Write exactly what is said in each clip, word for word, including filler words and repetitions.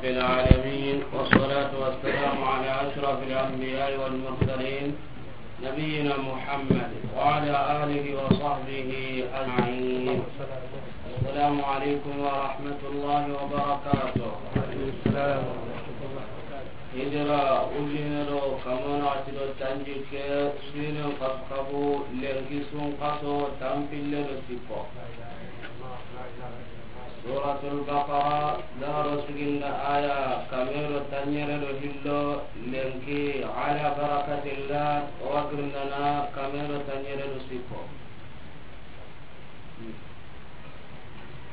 العالمين، والصلاة والسلام على أشرف الأنبياء والمرسلين، نبينا محمد وعلى آله وصحبه أجمعين. السلام عليكم ورحمة الله وبركاته. Hijira ujine do kamo naxati do tanjikke, sinen xasu xabu, lenki sun xaso, tanpille do sikko. Suratul Baqara, daro siginda aya kame do tanɲere do hillo, lenki ala barakatillah, o wa girindana kame do tanɲere do sikko.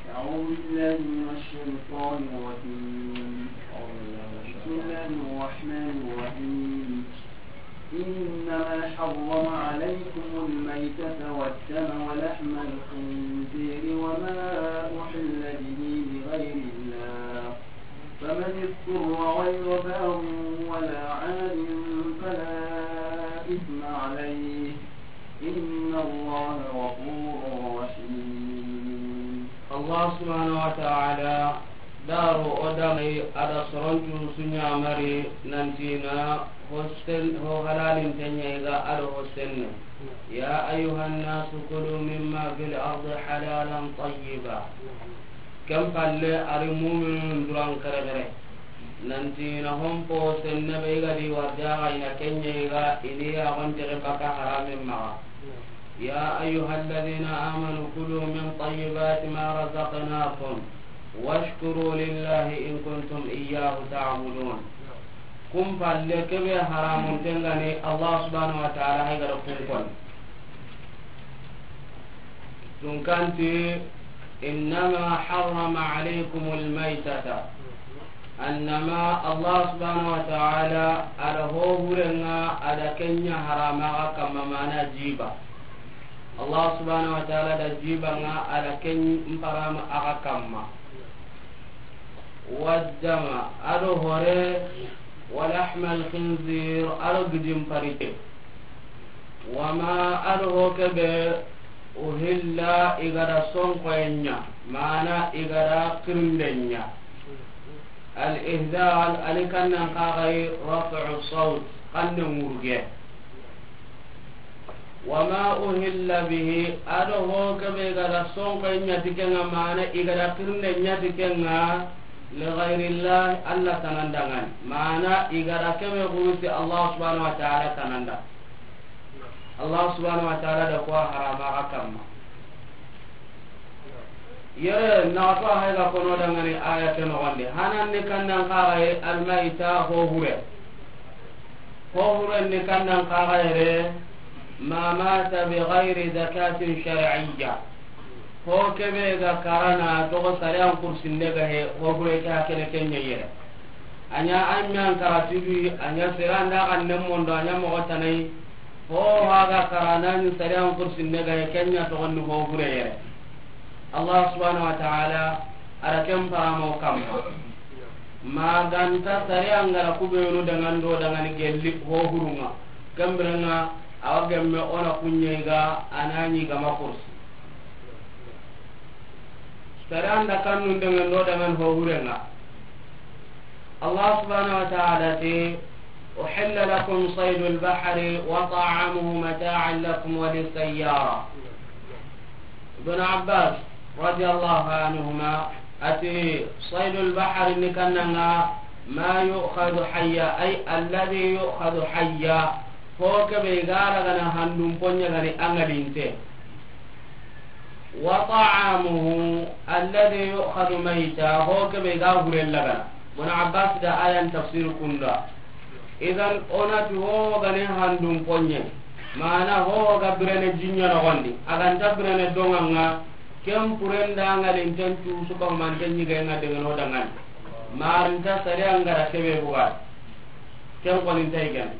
أعوذ بالله من الشيطان الرجيم. بسم الله الرحمن الرحيم. إنما حرم عليكم الميتة والدم ولحم الخنزير وما أحل به لغير الله، فمن اضطر غير باغ ولا عاد فلا إثم عليه، إن الله غفور رحيم. Allah subhanahu wa ta'ala daro o damay ada sorontu sunya mari nantina hosen ho halalin tanya iga ado hosen. يا أيها الناس كلوا مما في الأرض حلالا طيبا. Ken palle ari muminun duran kerekere. Nanti na hompo senne be ga di warjaga ina kenye ga ini ya gonte ke baka haramin maga. يا أيها الذين آمنوا كلوا من طيبات ما رزقناكم واشكروا لله إن كنتم إياه تعبدون. Kum palle kebe haramun tengani Allah subhanahu wa ta'ala hay gara kun kon. Tunkanti, إنما حرم عليكم الميتة. Annama Allah subhanahu wa ta'ala ada ho hurenga ada kenya harama ga kamma mana jiba. Allah subhanahu wa ta'ala da jiba nga ada ken mparama aga kamma. والدم, ado hore, ولحم الخنزير, ado gidin parike. وما, ado ho kebe, أهل, igada sonkoyenya, mana igada kirindenya. الإهلال, ali kannan kagai رفع الصوت, kanne ngurge. وما أهل به, ado ho kebe igada sonko nyati kenga, mana igada kirne nyati kenga, لغير الله, Allah tanandangan. Mana igada kebe gurusi Allah subhanahu wa ta'ala tananda. Allah subhanahu wa ta'ala da ko harama ga kamma. Yere na to hay ga kono dangani aya ke no wande. Hanan ni kannan kagai الميتة ho hure. Ho huren ni kannan kaga yere, ما مات بغير ذكاة شرعية. Ho kebe ga karana togo sariyan kursinde ga he, ho hure ke hakene kenye yere. Anya amyan karatibi, anya seranda kan nemmondo, anya mogo tanai. Ho haga karana ni sariyan kursinde ga he, kenya togo ni ho hure yere. Allah subhanahu wa ta'ala ara ken paramo kamma. Maganta sariya ngara kubenu dangando dangani gelli ho hurunga. Kembirenga awa gemme ona kunye ga anani ga makursi. Sariya nda kannun dangando dangan ho hurenga. Allah subhanahu wa ta'ala ti, أحل لكم صيد البحر وطعامه متاعا لكم وللسيارة. Ibn Abbas radiyallahu anhuma ati, صيد البحر ni kannanga, ما يؤخذ حيا، أي الذي يؤخذ حيا. Ho kebe igara gana handum ponya gani angalinte. وطعامه الذي يؤخذ ميتا, ho kebe ga huren lagana. Ibn Abbas da ayan tafsir kunda. Idan onati ho gane handum ponye. Mana ho ga birene jinya no gondi. Aganta birene donganga, ken purenda ngalin tentu suka manten nyiga nga degeno dangan. Maranta sare angara kebe buga. Ken konin taigan.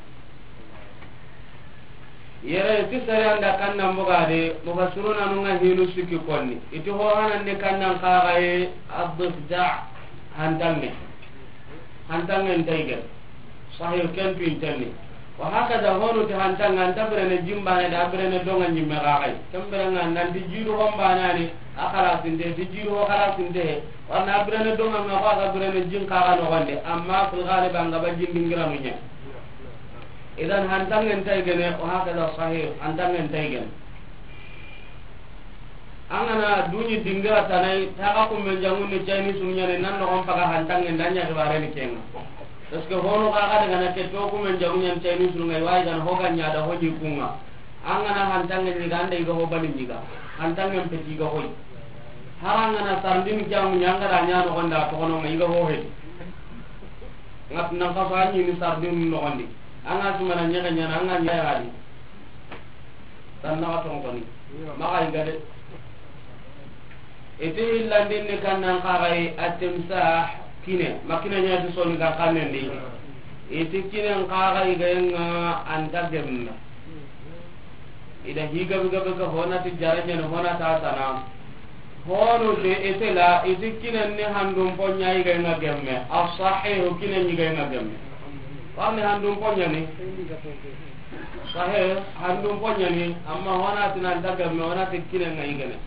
Yere ti sariyan da kannan bogade, mufassiruna nunga hinu sikki konni. Iti ho hanan ni kannan kagaye, الضفدع, hantange. Hantange ntaigen. Sahih, ken tu intenni. Wa hakada honu ti hantange, anta birene jimbane da birene donga nyimme kagaye. Ken birenga nanti jidu hombane ani, A xalasinte, ti jiidu ho xalasinte he. Wa na birene doŋa ŋa, ko a ga birene jin kaxa noxondi, amma fil ghalib an ga ba jin dingiranu ɲa. Idan hantanŋen tay gene, wa hakada sahih, hantanŋen tay gene. An ga na duɲi dingira tana yi, ta ga kummen jaŋun ni cayini sunu ɲaana, nan noxon paga hantanŋen da ɲa xibaare ni ke ŋa. Parce que hono xa ga daga na ke to kummen jaŋun ɲaana cayini sunu ŋa, i wa yi ga na ho ga ɲa da ho ɲi ku ŋa. An ga na hantanŋen ɲiga, an da i ga ho bali ɲiga. Hantanŋen peti i ga hoyi. Hari an ga na sardine ke ŋa ɲa, an ga da ɲa noxon da toxono ŋa, i ga ho he. Ŋa nan xaso an ɲi ni sardine noxondi. An ga simana ɲexe ɲaana, an ga ɲa ya di. Tan na xa toxo koni. Maxa i ga de. I ti hillandin ni kannan kaxayi, at-timsah, kine. Ma kine ɲa ti Soninkan xannen di. I ti kinen kaxayi ga ŋa, an ta gemme. I da hi gabe gabe ka, ho na ti jare ɲaana, ho na ta tana. Hono te i ti la, i ti kinen ni handun poɲa yi ga ŋa gemme. As-sahihu, kinen yi ga ŋa gemme. Wa ni handun poɲa ni. Sahih, handun poɲa ni, amma ho na ti nan ta gemme, ho na ti kinen ŋa yi gene.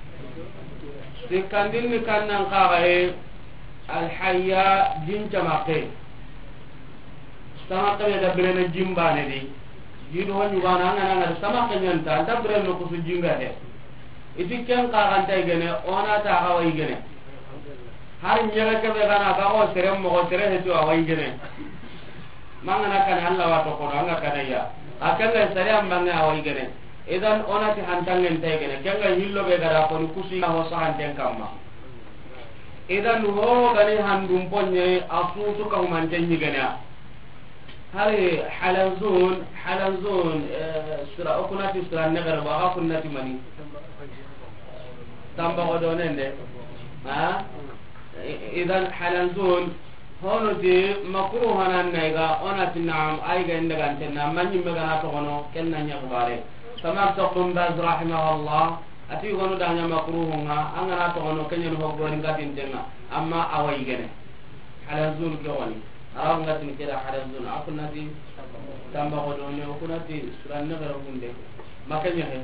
Sikkandin ni kannan kaxaye, al-hayya, jin camaxe. Samaxe be da birene jin baane di. Jiidu ho ɲugana, an ga na ŋa da samaxe ɲa nta, an ta birene no kusu jinga he. I ti ken kaxa nta yi gene, o na ta xa wa yi gene. Hari ɲexe ke be ga na ga ko sere moxo, sere he to a wa yi gene. Mangana kane Allah wa toxono, an ga kane ya. A kenga sariya mbange a wa yi gene. Idan o na ti hantanŋen tay gene. Kenga hillo be ga da ko ni kusi na ho sahanten kamma. Idan ho ga ni handun poɲe, a su su ka humanten ɲi gene. Hari halanzun, halanzun, eh, sura, o ku na ti sura ne ga ra, wa ga ku na ti mani. Tamba ko do nende. Ha? I-, idan halanzun, Hono ti makruh hanan na yi ga, o na ti naam, a yi ga inda ga ntenna, ma ɲimme ga na toxono, ken na ɲa xibaare. Samar Toxum Baz rahimahullah, a ti gonu da ɲa makruh ŋa, an ga na toxono, ken ɲa ni ho gori n ga tintenŋa, amma a wa yi gene. Halanzun ke woni. Arabu ŋa ti ni ke da halanzun, a ku na ti tamba ko do ne, o ku na ti suran ne ga ra gunde. Ma ken ɲa he.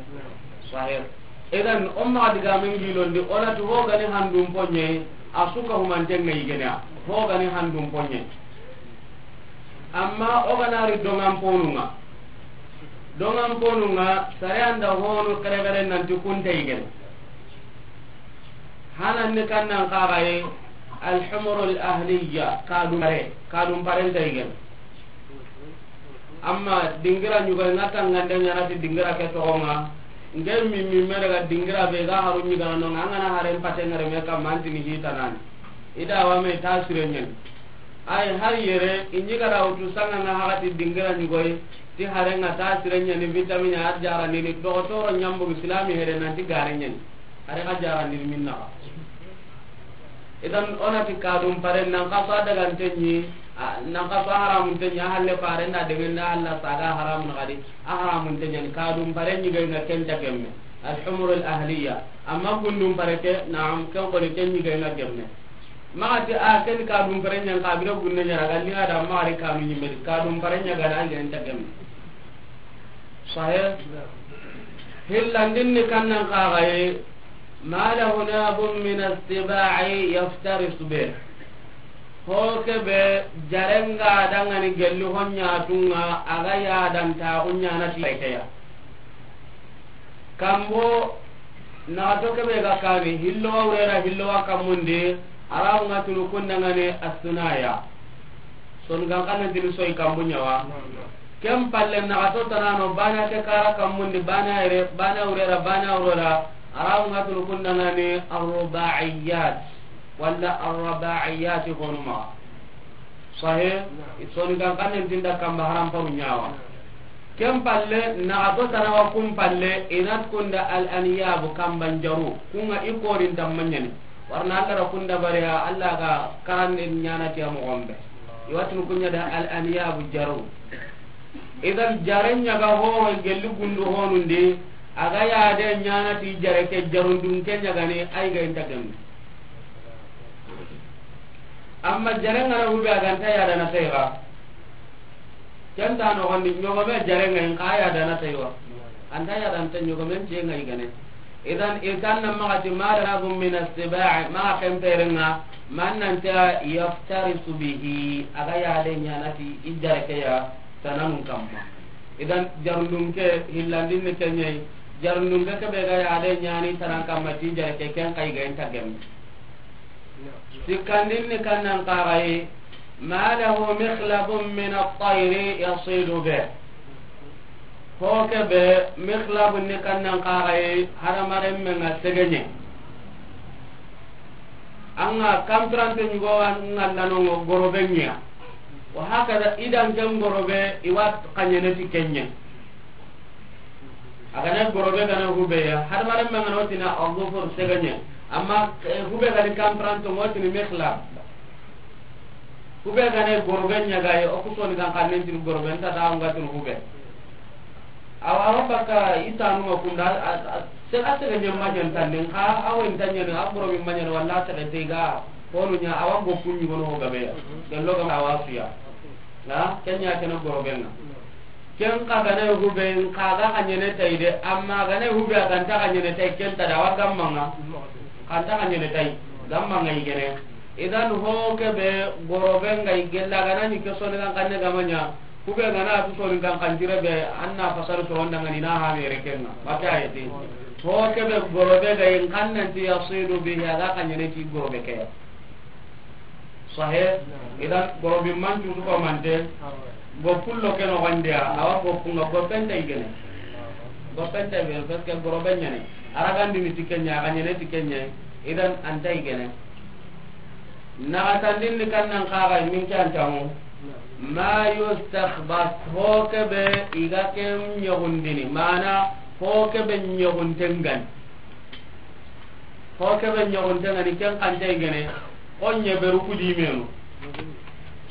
Sahih. Idan, o maxa digamen gilondi, o na ti ho ga ni handun poɲe, a su ka humanten ŋa yi gene ya. Ho ga ni handun poɲe. Amma o ga na ri doŋan ponun ŋa. Doŋan ponun ŋa, sare an da honu kere kere nan ti kun ta yi gene. Hanan ni kannan kaxaye, al-humurul ahliya, kadun pare, kadun paren ta yi gene. Amma dingira ɲugoy ŋa tangande ɲaana ti dingira ke toxo ŋa. Nke mi, mi me daga dingira be ga haru ɲigana no ŋa, an ga na haren pate ŋa reme kamma, an ti ni hita nani. I da wa me ta sire ɲaani. Ay, hari yere, i ɲigara wutu sanga ŋa haxa ti dingira ɲugoy, ti haren ŋa ta sire ɲaani, vitamine a jara ni, ni dogotoro ɲambu silami here nan ti gare ɲaani. Hari xa jara ni minna. Idan, o na ti kadun pare, nan xaso a daganten ɲi, a, nan xaso a haramunten ɲi, a halle pare nda degen da halla saga haramun xadi, a haramunten ɲi, kadun pare ɲi ga ŋa ken ta gemme. Al-humurul ahliya. Amma gundun pare ke, naam, ken ko ni ken ɲi ga ŋa gemme. Maxa ti a ken kadun pare ɲa n ka bira gunne ɲa ra ga linga da maxa ri kanu ɲimme di, kadun pare ɲa ga na ŋa ken ta gemme. Sahih. Hillandin ni kannan kaxaye, ma lahu nabun min as-siba'i yaftarisu bih. Ho ke be jarenga dangani gelli ho ɲa tunŋa, a ga ya dan ta hu ɲa na ti ke ya. Kambo, naxato ke be ga kani, hillo wa wurera, hillo wa kammundi, Arabu ŋa tunu kundangani as-sunaya. Soninkan xannen tini soyi kambu ɲa wa. Ken palle naxato tanano, bana ke kara kammundi, bana yere, bana wurera, bana wurera, Arabu ŋa tunu kundangani ar-rubaiyat, walla ar-rubaiyat honuma. Sahih. Soninkan xannen tinda kamba haram paru ɲa wa. Ken palle, naxato tana wa kun palle, i na ti kunda al-anyabu, kamban jaru. Kun ŋa i korin tamma ɲaani. Warna Allah ra kunda bariya, Allah ga karande ɲaana ti a moxon be. I wa tunu kun ɲa da al-anyabu jaru. Idan jare ɲa ga ho gelli gundu honundi, a ga ya de ɲaana ti jare ke jarundun ke ɲa ga ni, ay ga inta gemme. Amma jare ŋa na hube a ga nta ya da na tayga. Ken ta noxondi, ɲogome jare ŋa in xa ya da na taywa. An ta ya da na tay ɲogomen te ŋa i gane. Idan, i kan na maxa ti ma lahu min as-siba', maxa ken perenga, man nan ta yaftarisu bihi, a ga yale ɲaana ti i jare ke ya tananun kamma. Idan, jarundun ke hillandin ni ke ɲa yi, jarundun ke be ga yale ɲaani tanan kamma ti i jare ke, ken xa i ga inta gemme. Sikkandin ni kannan kaxayi, ma lahu mikhlabun min at-tayri yasidu bih. Ho kebe mikhlabun ni kannan kaxayi, hadamaren men ga segeɲe. An ga kanpirante ɲugo an ga lanongo gorobe ɲa. Wa hakada idan ken gorobe i wa xaɲene ti ken ɲa. A ga na gorobe ga na hube ya, hadamaren men ga na o tini a zufur segeɲe. Amma, eh, hube ga ni kanpiranto, o tini mikhlab. Hube ga na gorobe ɲa ga yi, o ku soni kan xannen tini gorobe, nta ta nga tini hube. Awa, awa baka i tanu ma kunda, a, a, se-, a segeɲe ma ɲan tanden, xa, awa inta ɲani, a gorobe ma ɲani, walla a sege te ga, honu ɲa, awa go kunɲi gono ho gabe ya. Gello ga ma awa suya. Ha, ken ɲa kene gorobe nga. Ken xa ga na hube, xa ga xaɲene tay de, amma ga na hube a ga nta xaɲene tay, ken ta da wa gamma nga. Xa nta xaɲene tay, gamma nga i gene. Idan ho kebe gorobe nga i gella ga na ni ke soni kan xanne ga ma ɲa. Hube ga na tu soni kan xan jire be, an na fasar to wanda nga ni na ha mere ken nga. Maka ayati. Ho kebe gorobe ga in xannan ti yasidu bihi, a ga xaɲene ti gorobe ke ya. Sahe, idan gorobi mantu su ko mante, go kullo ke no gondiya, awa go kunga go penta igene. Go penta igene, parce que gorobe ɲane. Aragandi ni ti ke ɲa, a ga ɲene ti ke ɲa, idan anta igene. Naxatandin ni kannan kaxa min ke antamu. Ma yustakhbas, ho kebe i ga ke ɲogundini, mana ho kebe ɲogunten gani. Ho kebe ɲogunten gani, ken xanta igene, ho ɲeberu ku di menu.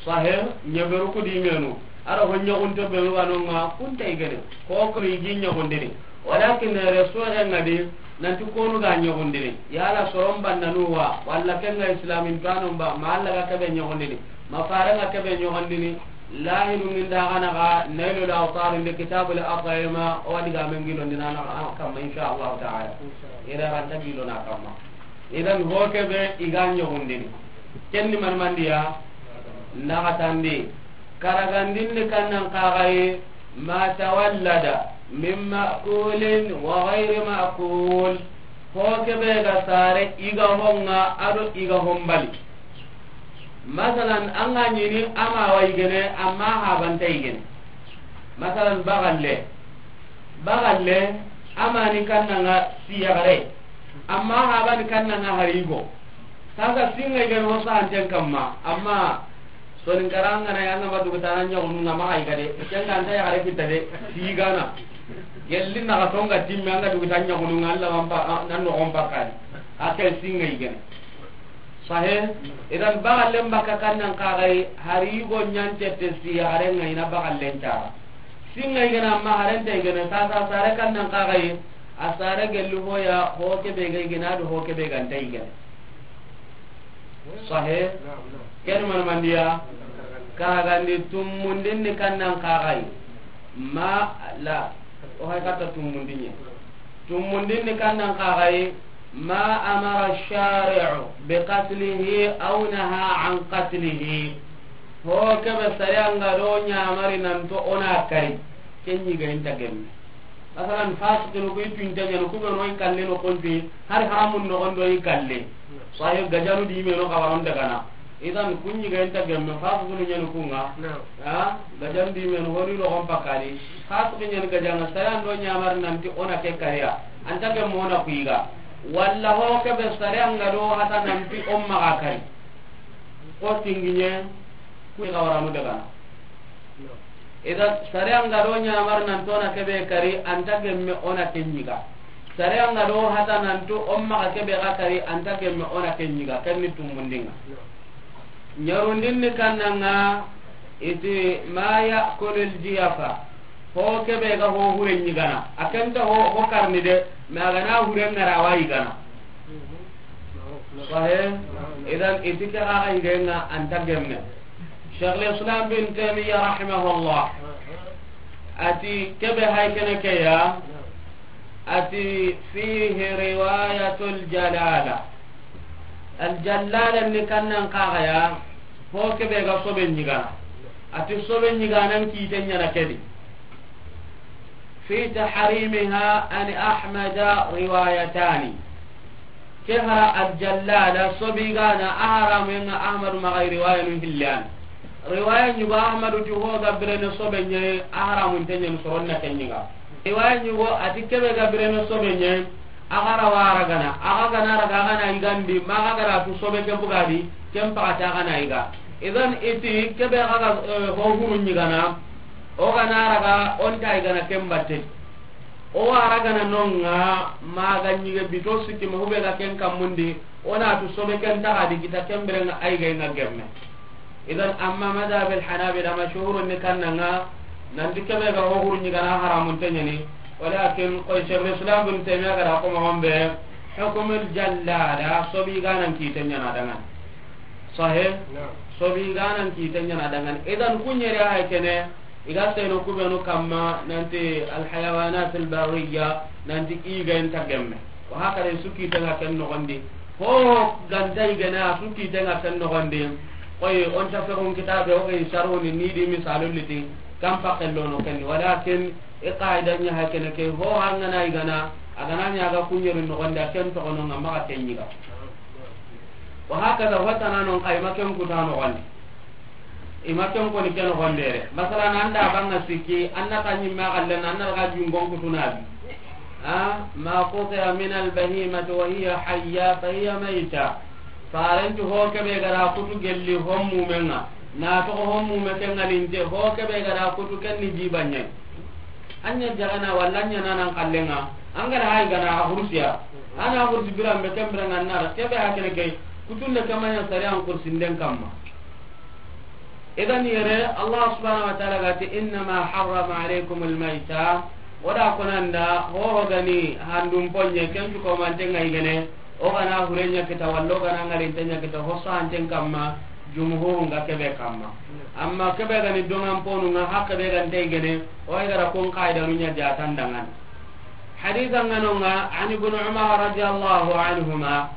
Sahe, ɲeberu ku di menu. A do ho ɲogunte benu ga no nga kunta igene. Ho ko i gi ɲogundini. Walakin reso e nga di, nanti konu ga ɲogundini. Yala soron bannanu wa, walla ken ga islamin tanu ba, ma Alla ga kebe ɲogundini. Ma fare nga kebe ɲogondini, lahidu min da gana ga Nailul Awtar inde Kitabul At'ima, o wadi ga men gilo ndina na ga kamma, insha Allah ta'ala. Ira ranta gilo na kamma. Idan ho kebe i ga ɲogondini. Ken ni man mandiya, naxatandi. Karagandin ni kannan kaxaye, ma tawallada min ma'kulin wa ghayri ma'kul. Ho kebe ga sare i ga honga a do i ga hombali. Masalan, an ga ɲini a ma wa igene, amma habanta igene. Masalan, bagalle. Bagalle, a ma ni kannanga siyagare. Amma haba ni kannanga harigo. Sasa singa igene ho sahanten kamma. Amma soninkaranga na yanga ma dugutana ɲogunu nga ma igade. Kenga anta yagare kitta de. Sigana. Gelli na ga tonga timme anga dugutana ɲogunu nga Alla man pa, nan no on pakani. Akel singa igene. Sahe, idan bagallen baka kannan kaxayi, hari yugo ɲancette si, haren ŋa ina bagallen cara. Singa igana ma harenta igana, sasa sare kannan kaxayi, a sare gellu hoya, ho kebe ga igana do ho kebe ganta igana. Sahe, ken man mandiya, kagandi tumundin ni kannan kaxayi, ma la, o hay kata tumundin ye. Tumundin ni kannan kaxayi, ما أمر الشارع بقتله أو نهى عن قتله. Ho kebe sariya nga do ɲamari nanto ona kari, ken ɲi ga inta gemme. Masalan, fasiqinu ku i tunta ɲanu, ku be no i kalle no konti, hari haramun no ondo i kalle. Sahih gajanu di me no kawaron daga na. Idan kun ɲi ga inta gemme, fasiqinu ɲanu kunga. Ha? Gajan di men honi logon pakani. Fasiqi ɲen gajanga, sariya ndo ɲamar nanti ona ke kariya. Anta ke mona kuiga. Walla ho ke be sariya nga do hata nanti on maga kari. Ko tinginye, ku ga waranu daga. Ida sariya nga do ɲamar nanti ona ke be kari, anta ke me ona ke ɲiga. Sariya nga do hata nanti on maga ke be ga kari, anta ke me ona ke ɲiga. Ken ni tumundinga. Ɲarundin ni kannanga iti ma ya'kulul jiyafa. Ho kebe ga ho hure ɲigana. A kenta ho, ho karni de, ma a gana hure ngara wa yigana. Sahe, idan iti ke gaga yigenga anta gemme. Shaykhul Islam bin Taymiyyah rahimahullah. Ati kebe hay kene ke ya. Ati fihi riwayatul jalala. Al jalala ni kannan kaxaya, ho kebe ga sobe ɲigana. Ati sobe ɲiganan kite ɲana kedi. Fi tahrimiha an Ahmada riwayatani. Ke hara al jallala sobi gana a haramu nga Ahmadu maxa riwaya nu hillan. Riwaya ɲugo Ahmadu ti ho ga birene sobe ɲe a haramun te ɲen soronna ke ɲiga. Riwaya ɲugo ati kebe ga birene sobe ɲe a ga ra wara gana a ga gana ra ga gana igandi ma ga ga ra tu sobe ke bugadi ken paxati a gana iga. Idan iti kebe ga ga, eh, ho huru ɲigana o gana ra ga onta igana ken batte. O wara gana nonga maga ɲige bito sikki ma hube ga ken kammundi, o na tu sobe ken taxa di kita ken bire nga ay gay nga gemme. Idan amma madhab al hanabila mashhurun ni kannanga nanti kebe ga ho huru ɲigana haramun te ɲani. Walakin koy Shaykhul Islam bin Taymiyyah ga da ko mo gombe hukmul jallala sobi ganan kite ɲana dangan. Sahih? Naam. Sobi ganan kite ɲana dangan. Idan kunyere ay kene. Iga seno kubenu kamma nanti alhayawanat albarriya nanti iga inta gemme. Wa hakada su kite nga ken nogondi. Ho ganta igana su kite nga ken nogondi. Koy on ta fexun kitabe o gay saruni ni di misalun liti. Kam pakello no ken walakin i qaida nya hakene ke ho hangana igana agana nya ga kunyeru nogondi ken to kono nga maxa ken ɲiga. Wa hakada watana non kay ma ken kuta nogondi. I ma ken koni ke nogondere. Masalan, an da banga sikki, an na ta ɲimme xallen, an na daga jungon kutunabi. A, ma quti'a min al-bahimati wa hiya hayya fa hiya mayta. Farenti ho kebe ga da kutu gelli hommumenga. Na toxo hommume ke ngalinte, ho kebe ga da kutu ken ni jibaɲe. An ɲa jagana walla an ɲa nanan xallenga. An ga da hay gana a hursiya. Ana hursi biran be ken biran an na da. Kebe hakene ke. Kutunde kamaɲa sari an kursinden kamma. Idan yere Allah subhanahu wa ta'ala ga ti, "Innama harrama alaykumul mayta." O da konanda, ho ho gani handum ponye, ken tu ko mante ngai gene, o gana hurenya kita, wallo gana ngarin tenya kita, ho santen kamma, jumhurun ga kebe kamma. Amma kebe gani dongan ponu nga hakke be gan tay gene, o ay gara kon qaida nunya jatan dangan. Haditha nganonga, an Ibn Umar radiyallahu anhuma,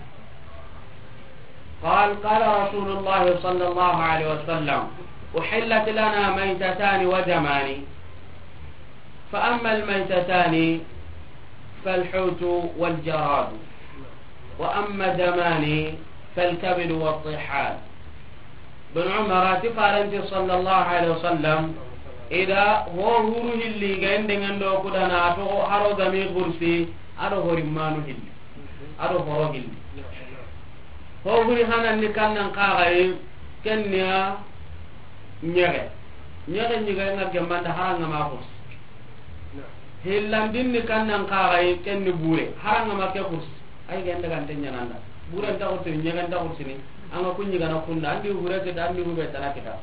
قال: قال رسول الله صلى الله عليه وسلم: أحلت لنا ميتتان ودمان، فأما الميتتان فالحوت والجراد، وأما الدمان فالكبد والطحال. Ibn Umar a ti farenti sallallahu alaihi wasallam, i da ho huru hilli ga indengen do kudana, a toxo haro gami xursi, a do horimmanu hilli, a do horo hilli. Ho huri hananni kannan kaxayi, ken ni ya ɲexe. Ɲexe ɲiga nga gembanda haranga ma xursi. Hillandin ni kannan kaxayi, ken ni bure, haranga ma ke xursi. Ay ga ndagante ɲananda. Bure nta xursi, ɲexe nta xursi ni. Anga ku ɲigana kunda, andi hure kita, andi hube tana kita.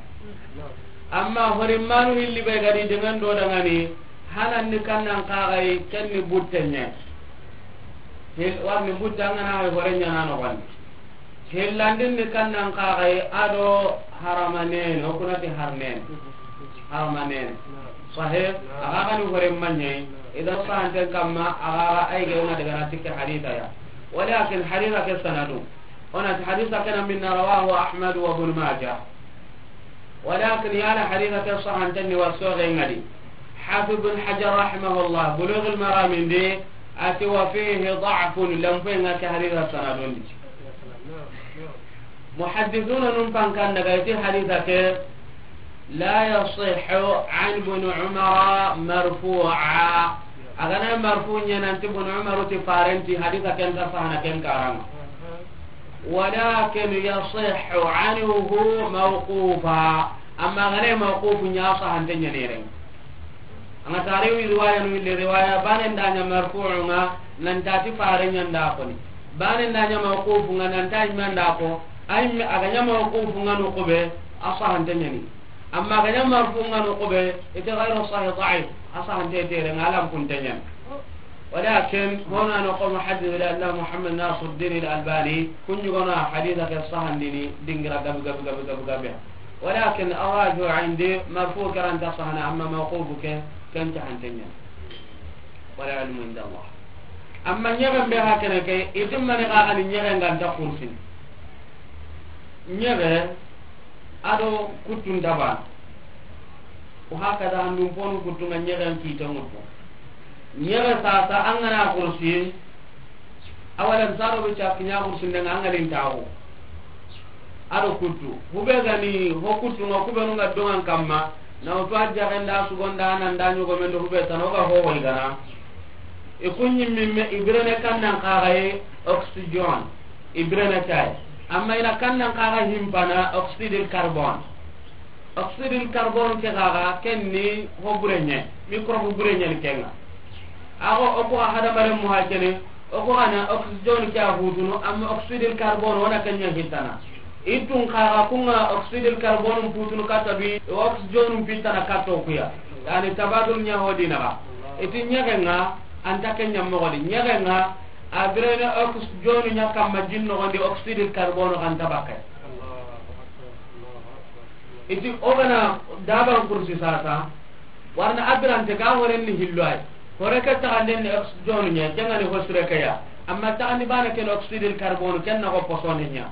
Amma horimmanu hilli be gadi dengan do dangani, hananni kannan kaxayi, ken ni butte ɲe. Hil-, warni butte angana hay hore ɲana no wandi. Hillandin ni kannan kaxayi, a do harama nene, o kunati har nene. Harama nene. Sahih, aga gani hore manye, idan sahanten kamma, aga ay ga na daga na tikke haditha ya. Walakin haditha ke sanadu. Onati haditha kana minna rawahu Ahmad wa Ibn Majah. Walakin yala haditha ke sahanten ni wasoge ngadi. Hafiz Ibn Hajar rahimahullah, Bulughul Maram indi, ati wa fihi da'fun, lampe nga ke haditha sanadundi. Muhaddithuna num pankan daga iti haditha ke, لا يصح عن ابن عمر مرفوعا. Agana marfu ɲa nanti Ibn Umar ti farenti haditha ken ta sahana ken karanga. ولكن يصح عنه موقوفا. Amma agana mawqufu ɲa sahante ɲa neren. Anga tare wi riwaya nu le riwaya banen da ɲa marfu'u nga nan tati fare ɲa nda ko ni. Banen da ɲa mawqufu nga nan ta imanda ko. Ay me aga ɲa mawqufu nga no ko be a sahante ɲa ni. Amma ga ɲa marfu nga no ko be, ite ghayru sahih da'if, a sahante tere nga lam kun tenyen. Walakin, hona no ko muhaddith al-Allama Muhammad Nasiruddin al-Albani, kun yugo na haditha ke sahandini, dingira gabi, gabi, gabi, gabi, gabi. Walakin, arrajih indi, marfu karanta sahana, amma mawqufu ke, ken ta hantenyen. Wal ilmu inda Allah. Amma ɲexen be xa kene ke, i ti mani xa ga ni ɲexen ga nta kursi. Ɲexe a do kuttun ta baana. Wa hakada handun ponu kuttu ŋa ɲexen kiite ŋuttu. Ɲexe sasa an ga na kursi, a wala n saro be ca kiɲa kursi nde ŋa an ga lin taxu. A do kuttu. Hube ga ni ho kuttu ŋa, kubenu ŋa doŋan kamma. Na wutu a jaxen da sugon da nan da ɲogomen do hube tana o ga ho wo i gana. I ku ɲimmi me i birene kannan xaxaye oxygène. I birene kay. Amma i na kannan xaxa himpana oxyde de carbone. Oxyde de carbone ke xaxa ken ni ho bureɲe, microbe bureɲe ni kenga. Ago o ku hadamaren mu ha kene, o ku gana oxygène ke a hutunu, amma oxyde de carbone wona kenya hitana. Itun xaxa kunga oxyde de carbone putunu kata bi, oxygène pitana kato kuya. Yani tabadul ɲa ho dina ga. Iti ɲexenga anta kenya mogodi. Ɲexenga a birene oxygène ɲa kamma jin nogondi, oxyde de carbone xanta bakkay. Iti o gana daban kursi sasa, warna a birante ga horen ni hillo ay. Hore ke taxanden ni oxygène ɲa, kenga ni hosure ke ya. Amma taxandi bana ken oxyde de carbone, ken na ko posone ɲa.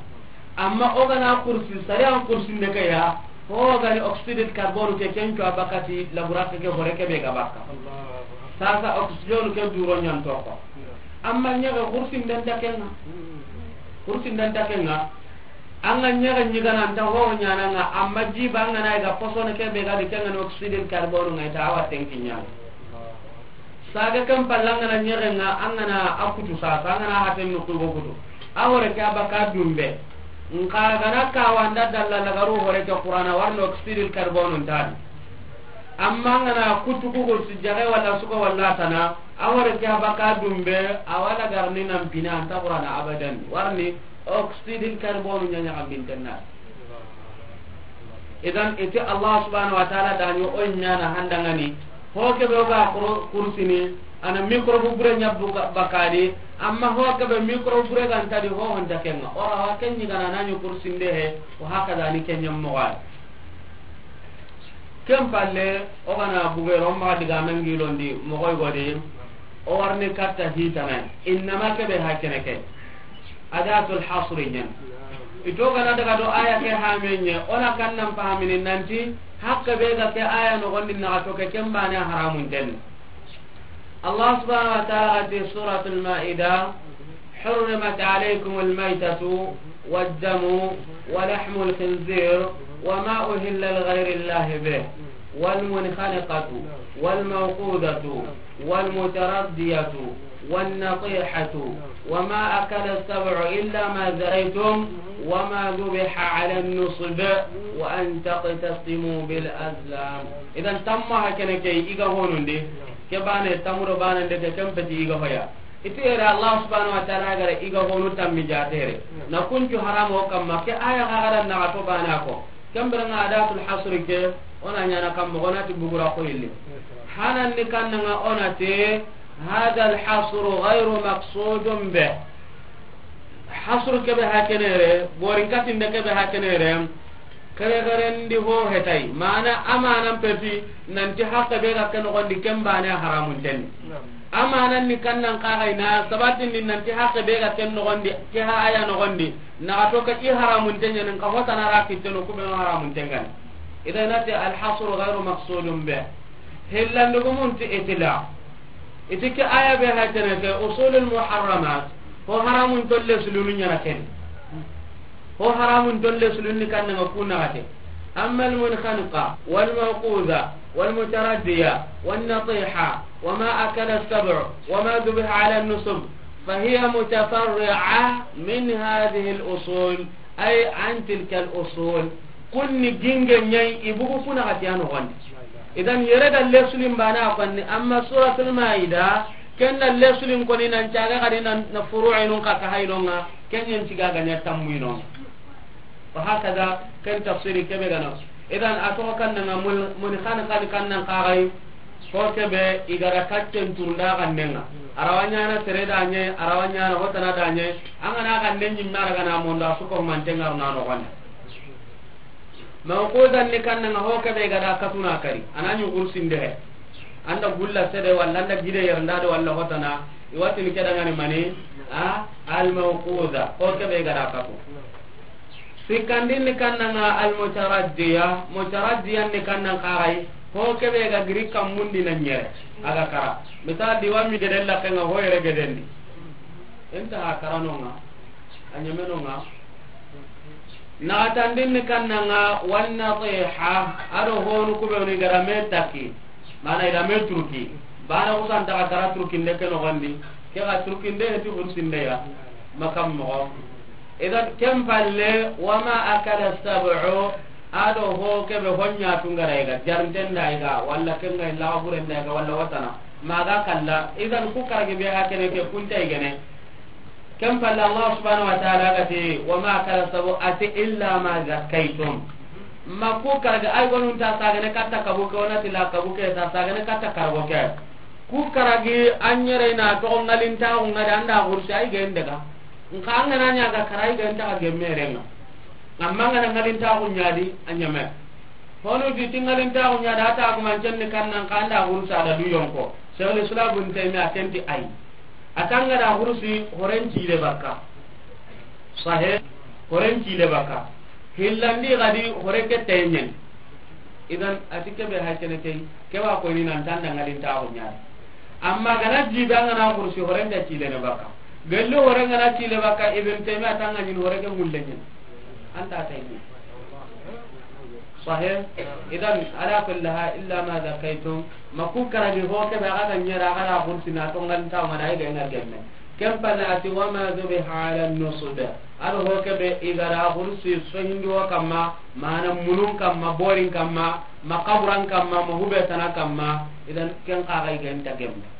Amma o gana kursi, sariyan kursi ne ke ya, ho gani oxyde de carbone ke ken cuwa bakati laburake ke hore ke be ga bakka. Sasa oxygène ke duro ɲan toko. Amma ɲexe kursi ndanta kenga. Kursi ndanta kenga. An ga ɲexe ɲigana nta ho ɲananga, amma jiba an ga na ga posone ke be ga di kenga ni oxyde de carbone ngai ta awa tenki ɲa. Saga kan pallanga na ɲexenga an ga na a kutu sasa, an ga na haten no kugo kutu. A hore ke a baka dumbe. Nka gana kawanda dalla lagaru hore ke Qur'ana warno oxyde de carbone ntadi. Amma an ga na kutu kugo su jage wala suko wala tana, a hore ke a baka dumbe, a wala garni nan pina anta Qur'ana abadan. Warni oxyde de carbone ɲa ɲa kan bintenna. Idan iti Allah subhanahu wa ta'ala da ɲo o ɲana handangani. Ho ke be ga kuro-, kursini, ana microbe bure ɲa buka-, bakadi, amma ho ke be microbe bure ga ntadi ho honta kenga. Ora wa ken ɲi gana na ɲi kursinde he, wa hakada ni ken ɲa mogo ay. Ken palle, o gana bugero ma diga men gilondi, mogo godi, o warni katta hitana. Innama ke be ha kene ke. Adatul hasri ɲen. Ito gana daga do aya ke hamenye, ona kannan pahamini nanti, hakke be ga ke aya nogondi na to ke kembane haramun den. Allah subhanahu wa ta'ala ti Suratul Maida, حرمت عليكم الميتة والدم ولحم الخنزير وما أهل لغير الله به والمنخنقة والموقوذة والمتردية والنطيحة وما أكل السبع إلا ما ذكيتم وما ذبح على النصب وأن تقتسموا بالأزلام. Idan tamma hakene ke iga honundi, ke bane tamuro bane ndeke kempeti iga hoya. Iti yere Allah subhanahu wa ta'ala gara iga honu tammi jatere. Na kuncu haramo kamma ke aya gagara na to bana ko. Kembere nga adatul hasri ke, ona ɲana kamma gona ti bugura ko illi. Hanan ni kannanga ona te, hadha al hasru ghayru maqsudun be. Hasru kebe hakenere, borin katinde kebe hakenere, kere kere ndi ho hetay. Mana amanan peti, nanti hakke be ga ke nogondi kembane haramun ten. Amanan ni kannan kaxay na sabatin ni nanti hakke be ga ken nogondi, ke ha aya nogondi, naxa to ka i haramun ten ɲanin ka hotana ra kitteno kubeno haramun ten gani. Idan nati al hasru ghayru maqsudun be. Hillandugumun ti itila. Iti ke aya be ha kene ke usulul muharramat, ho haramun tolle sulunu ɲana ken. Ho haramun tolle sulunni kannanga ku naxate. Amma al munkhaniqa wal mawquza wal mutaraddiya wan natiha wama akala as-sab'u wama dhubiha ala an-nusub fahiya mutafarri'a min hadhihi al usul, ay an tilka al usul. Kunni ginge ɲay ibugu kuna xati ano gonde. Idan yere da lesulin bana konni, amma Suratul Maida ken da lesulin koni nan caga kadi nan na furu'inun ka ka haynonga, ken yen ciga ga ɲa tammuinonga. Wa hakada ken tafsiri kebe gana. Idan a to kannanga mul-, muni kan kan kannan kaxay, ho kebe igara kaccen turnda kannenga. Arawa ɲana sere da ɲe, arawa ɲana hotana da ɲe, angana kannen ɲimme ara gana mondo a suko mantenga runa no gonde. Mawquzan ni kannanga ho kebe gada katuna kari, anani kursinde he. Anda gulla sede walla anda gide yernda de walla hotana, I wa tini ke dangani mani? A, al-mawquza. Ho ke be ga da kafu. Sikkandin ni kannanga al-mutaraddiya, mutaraddiyan ni kannan kaxay, ho ke be ga giri kammundi na ɲere, a ga kara. Misal di wa mi geden lakenga ho yere gedendi. Inta ha karanonga, a ɲemenonga. Naxatandin ni kannanga, wan natiha, a do honu kubenu i ga da me taki. Mana i da me turki. Bana kusan ta ga kara turkinde ke noxondi. Ke ga turkinde heti xursinde ya. Makam moxo. Idan ken palle, wama akala sab'u, a do ho ke be ho ɲa tungara i ga, jarinten da i ga, walla kenga illa buren da i ga, walla watana. Maga kalla, idan ku karagi be ha kene ke kunta i gene. Ken palle Allah subhanahu wa ta'ala ga ti, wama akala sab'u, a ti illa ma zakkaytum. Ma ku karagi ay gonun ta sagane katta kabuke, wona ti la kabuke ta sagane katta kargo ke. Ku karagi a ɲere na to ngalinta ngada anda gursi ay gen daga. Nka an ga na ɲa ga kara i ga nta ga gemmerenga. Amma an ga na ngalintaxu ɲa di, a ɲeme. Honu di ti ngalintaxu ɲa di, a ta gumancen ni kannan ka anda xurusi a da du yonko. Cheikhul Islam Ibn Taymiyyah a ken ti ay. A tanga da xurusi horen cile bakka. Sahe, horen cile bakka. Hillandi gadi hore ke taymen. Idan a ti ke be hay kene key, ke wa ko ni nan tanda ngalintaxu ɲa di. Amma gana jibe an ga na xurusi horen da cile ne bakka. Gelli hore ngana cile bakka, Ibn Taymiyyah tanga ɲin hore ke mulle ɲin. Anta taymi. Sahih. Idan ala kulli hal illa ma zakaytum. Ma ku karagi ho ke be a ga ɲera a ga da xursina to ngalintaxu ma da i ga na gemme. Ken palle a ti wama zubiha ala nusub. A do ho ke be i ga da xursi sohindi wo kamma, mana munun kamma, borin kamma, ma kaburan kamma, ma hube tana kamma. Idan ken xa ga i ga nta gemme.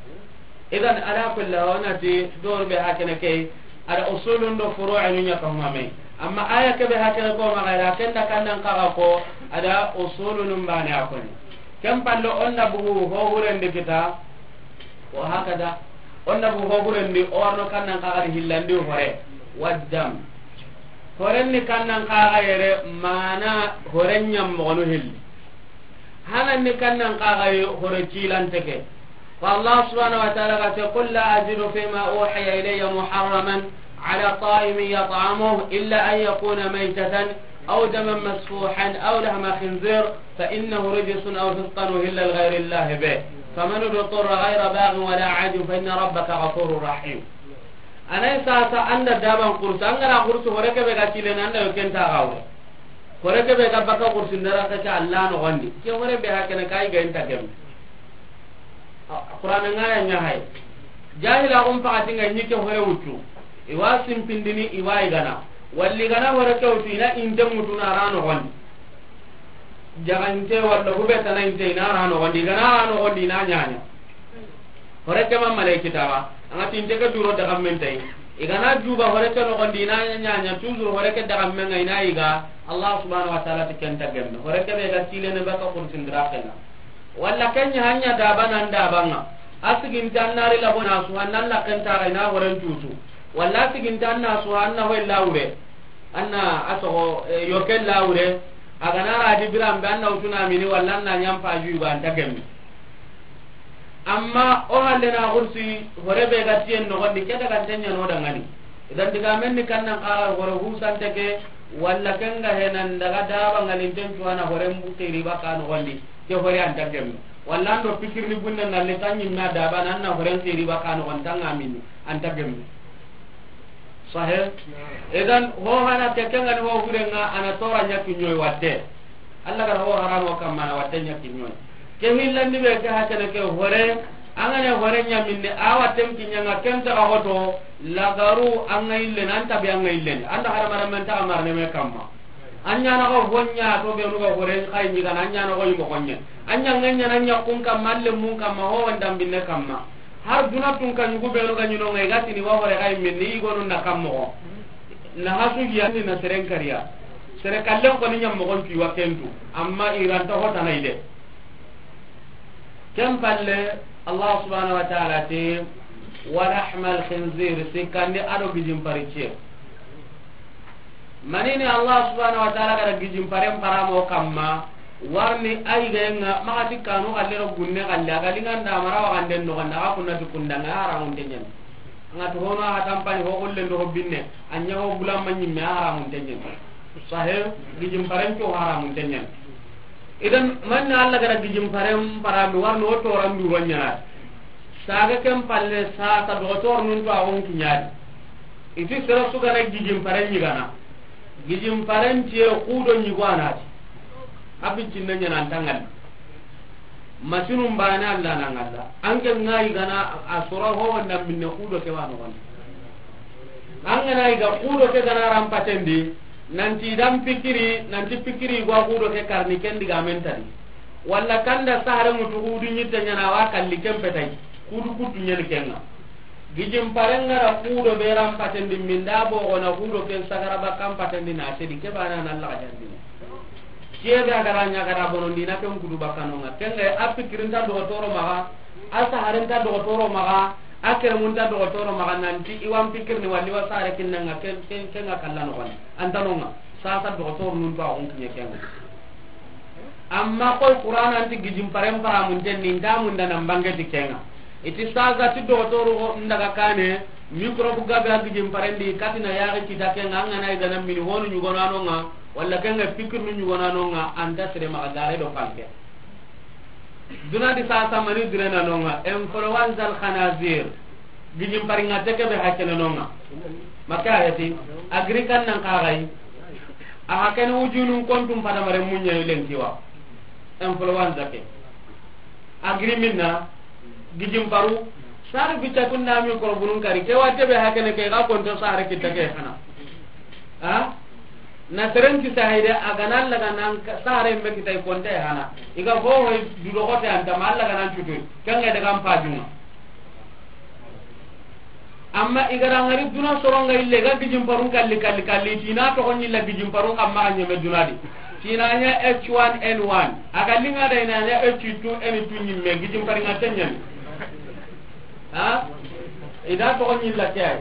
Idan ala kulli hal, wona ti dor be ha kene key, a da usulun do furu'un ɲa ka huma me. Amma aya ke be ha kene ko ma ga ira ken da kannan kaga ko, a da usulun bane a koni. Ken palle onna bugu ho huren di kita, wa hakada, onna bugu ho huren di o warno kannan kaga di hillandi hore, waddam. Horen ni kannan kaga yere mana horen ɲam mo no hilli. Hanan ni kannan kaga yi hore cilante ke. Ko Allah subhanahu wa ta'ala ga te, "Qul la ajidu fima uhiya ilayya muharraman ala ta'imin yat'amuhu illa an yakuna maytatan aw daman masfuhan aw lahma khinzir fa innahu rijsun aw fisqan uhilla li ghayri Allah bih. Faman idturra ghayra baghin wala 'adin fa inna rabbaka ghafurur rahim." Anay sasa anda daban kursu, an ga na kursu hore ke be ga cilene anda yo ken ta gawre. Hore ke be ga baka kursu ndara ka ca Allah noxondi. Ke hore be ha kene kay ga inta gem. Qur'an nga ya ɲa hay. Jahila um pakati nga ɲi ke hore wutu. I wa simpindini i wa i gana. Walli gana hore ke wutu i na inte mutu na ra noxondi. Jaga inte walla hube tana inte i na ra noxondi. I gana ra noxondi i na ɲaɲa. Hore ke ma malay kitaba, anga tinte ke duro daga men tay. I gana juba hore ke noxondi i na ɲaɲa, toujours hore ke daga men nga i na i ga, Allah subhanahu wa ta'ala ti ken ta gemme. Hore ke be ga cilene baka kursin dira kenna. Walla ken ɲa hanya daba nan dabanga. A siginta an na ri labo na su, an na la ken ta ga i na horen tutu. Walla a siginta an na su, an na hoy lawure. An na a soxo, eh, yoke lawure. A gana ra di biran be an na wutuna mini walla an na ɲam paju yugo an ta gemme. Amma o halle na xursi hore be ga tiyen noxondi ke daga nten ɲa no dangani. Idan diga men ni kannan kaga hore husante ke, walla ken ga henan daga daba ngalinten cuwana horen bu xiri baka noxondi, ke hore an ta gemme. Walla an do pikirni bunne ngalle tan ɲimma daba nan na horen xiri baka noxon tanga mini, an ta gemme. Sahih. Idan ho hana ke kengani ho hurenga ana tora ɲa kiɲoy watte. Allah gar ho haramo kamma na watte ɲa kiɲoy. Ke hillandi be ke hakene ke hore, angane hore ɲa minne a watten kiɲanga ken ta hoto lagaru anga ille nan tabi anga ille. Anda harama men ta marne me kamma. An ɲa na ko honya to be nuga hore kay ni gana an ɲa na ko yimo honye. An ɲa nganya nan ɲa kun kamma alle mun kamma ho wandam binne kamma. Har duna tun ka ɲugu benu ga ɲino ngai ga tini wa hore ga yimmin ni i gonu na kam moxo. Na hasu yandi na seren kariya. Sere kallen ko ni ɲam moxon ti wa kentu. Amma i ranta hota na ide. Ken palle Allah subhanahu wa ta'ala ti, "Wa lahmal khinzir," sikandi ado gijin parice. Manini Allah subhanahu wa ta'ala gara gijin paren paramo kamma, warni ay genga maxati kanu xalle ro gunne xalle, a ga linganda mara wa ganden no ganda, a ga kunna ti kundanga, a haramun tenyani. Nga to hono a tampani ho golle ndo binne, a ɲa ho bulamma ɲimme, a haramun tenyen. Sahe, gijin paren to haramun tenyen. Idan, manna Allah gara gijin paren parami warno o toran duro ɲana. Saga ken palle sa ta dogotor nun to a won kiɲadi. Iti sera sugana gijin paren ɲigana. Gijin paren tiye kudo ɲigo anati. A bincin na ɲana an tangal. Masinun bane Allah na ngalla. An ke ngayi gana a sora ho wanda minne kudo ke wano wani. An gana iga kudo ke gana ran patendi, nanti dan pikiri, nanti pikiri gwa kudo ke karni ken diga mentadi. Walla kanda sare mutu kudu nyitte ɲana wa kalli ken petai. Kudu kutu nyani kenga. Gijin parenga ra kudo be ran patendi minda bo gona kudo ken sagara bakkan patendi na sedi ke bana na Allah jandini. Kebe a gara ɲa gara bonondi na ken kudu bakkanonga. Kenga a pikirinta dogotoro maga, a saharinta dogotoro maga, a keremunta dogotoro maga nanti iwan pikirni walli wa sare kinnanga ken, ken, kenga kalla nogoni. Antanonga, sasa dogotoro nun to a gun kiɲe kenga. Amma koy Qur'an anti gijin paren paramun ten ni nda mun da nan bangeti kenga. Iti saga ti dogotoro ndaga kane, microbe gabe a gijin parendi, katina yari kita kenga, angana igana mini honu ɲugonanonga, walla kenga pikirnu ɲugonanonga, anta sere maga gare do panke. Duna di sasa mani dure nanonga, influenza al khanazir. Gijin paringa teke be hakene nonga. Maka ayati, agrikan nan kagai. A hakene ujunun kontum pada mare munya ilen kiwa. Influenza ke. Agri minna, gijin paru, sare bica kunda mi korobunun kari, ke watte be hakene ke ga konto sare kitta ke hana. Ha? Na seren ki sahide, a gana Allah ganan sare me kitai konte hana. Iga ho ho dudo kote anta ma Allah ganan cutu. Kanga daga am pajunga. Amma igara ngari duna soronga ille ga gijin parun kalli, kalli, kalli, tina to gonni la gijin parun kamma ga nyeme duna di. Tina nya H one N one. Aga linga da ina nya H two N two nyimme gijin paringa tenyen. Ha? Ida to gonni la kay.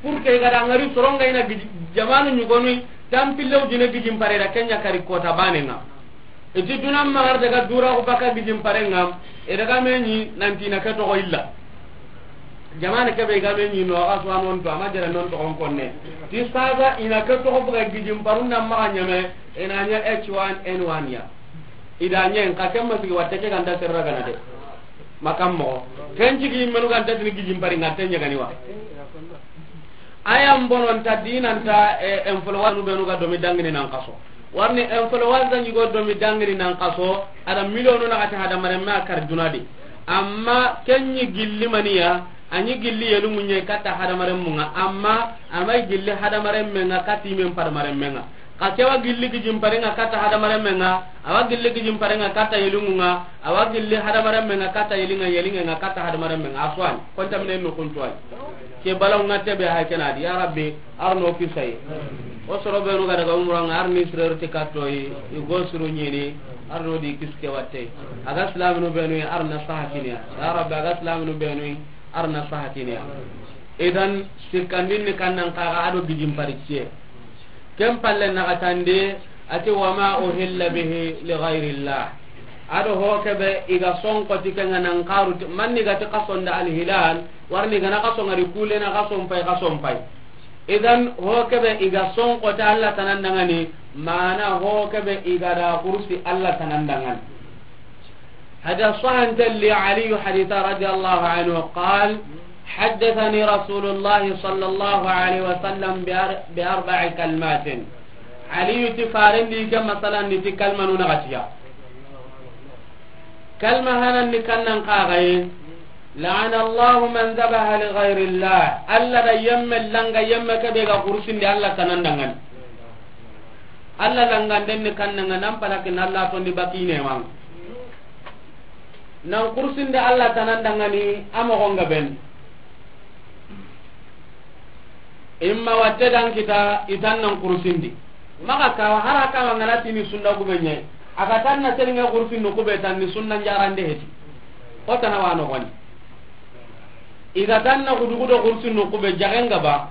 Pour que igara ngari soronga ina gijin, jamanu nyugonu tampille ujine gijin pare da kenya kari kota banenga. Iti duna magar daga dura ko baka gijin parenga, e daga meni nanti na ke to illa. Jamana ke be ga meni no ga so anon to ama jere non to on konne. Ti saga ina ke to buga gijin parun na maga nyame, ina nya H one N one ya. Ida nyen ka kemma sigi watte ke ganda serra gana de. Makam mo. Ken jigi menu ganda tini gijin paringa tenya gani wa. Aya mbono nta dinanta, e, influenza nu benu ga domi dangini nan kaso. Warni influenza ɲigo domi dangini nan kaso, ada milionu na kata hada maremme a kar dunadi. Amma kenyi gilli maniya, anyi gilli yelu munye kata hada maremmunga, amma amai gilli hada maremmenga kati men par maremmenga. Ka kewa gilli gijin parenga kata hada maremmenga, awa gilli gijin parenga kata yelunga, awa gilli hada maremmenga kata yelinga, yelinga kata hada maremmenga. Aswan, konta minen no kuntuai. Ke balaw nga tebe hay kenadi, ya Rabbi, arno kisay. O soro benu ga daga umranga, arni sirerti kattoyi, i go suru ɲini, arno di kiske watte. Aga islaminu benu, arna sahakiniya. Ya Rabbi, aga islaminu benu, arna sahakiniya. Idan, sikkandin ni kannan kaga ado gijin pariciye. Ken palle nagatande, ati, "Wa ma uhilla bihi li ghayrillah." Ado ho kebe iga sonkoti kenga nan karu ti, manni gati kasonda alhilal, warni gana kaso ngari kulena kason pay, kason pay. Idan ho kebe iga sonkoti Allah tanan dangani, mana ho kebe iga da kursi Allah tanan dangani. Hada sahan talli Ali haditha radiyallahu anhu qal, حدثني رسول الله صلى الله عليه وسلم بأر-، بأربع كلمات. Ali ti farendi ke masalan ni ti kalmanu na gatiya. Kalma hanan ni kannan kagaye. لعن الله من ذبح لغير الله. Allah da yemme langa yemme ke be ga kursinde Allah tanan dangan. Allah langanden ni kannanga nan palakin Allah tondi bakine mang. Nan kursinde Allah tanan dangani a moxonga ben. Imma watte dan kita itan nan kursindi. Maxa kawa hara kawa ngana tini sunna gube ɲe. Aga tan na selinga kursin no kube tan ni sunna jarande heti. O tana wano goni. Iga tan na gudu gudu kursin no kube jagenga ba.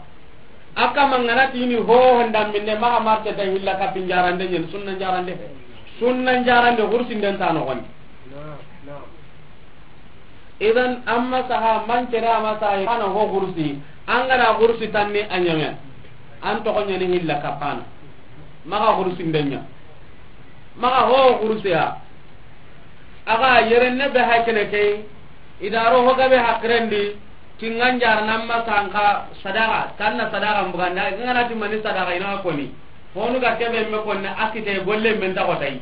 Aka mangana tini ho honda minne maxa marte ta hilla kapin jarande ɲen sunna jarande. Sunna jarande kursin den tano goni. Idan, an masaha, man cere a masaha, a na ho xurusi, an ga na xurusi tanni a ɲeme, an toxo ɲaani hilla kapana, maxa xurusi ndenya, maxa ho xurusiya, a ga yerenne be hakene ke, i da ro ho gabe hakirendi, tingan jarana masaha nka sadaxa, tanna sadaxa mbuganda, i ga na ti mani sadaxa i na koni, honu ga kebe me konni a kite golle men ta xotay.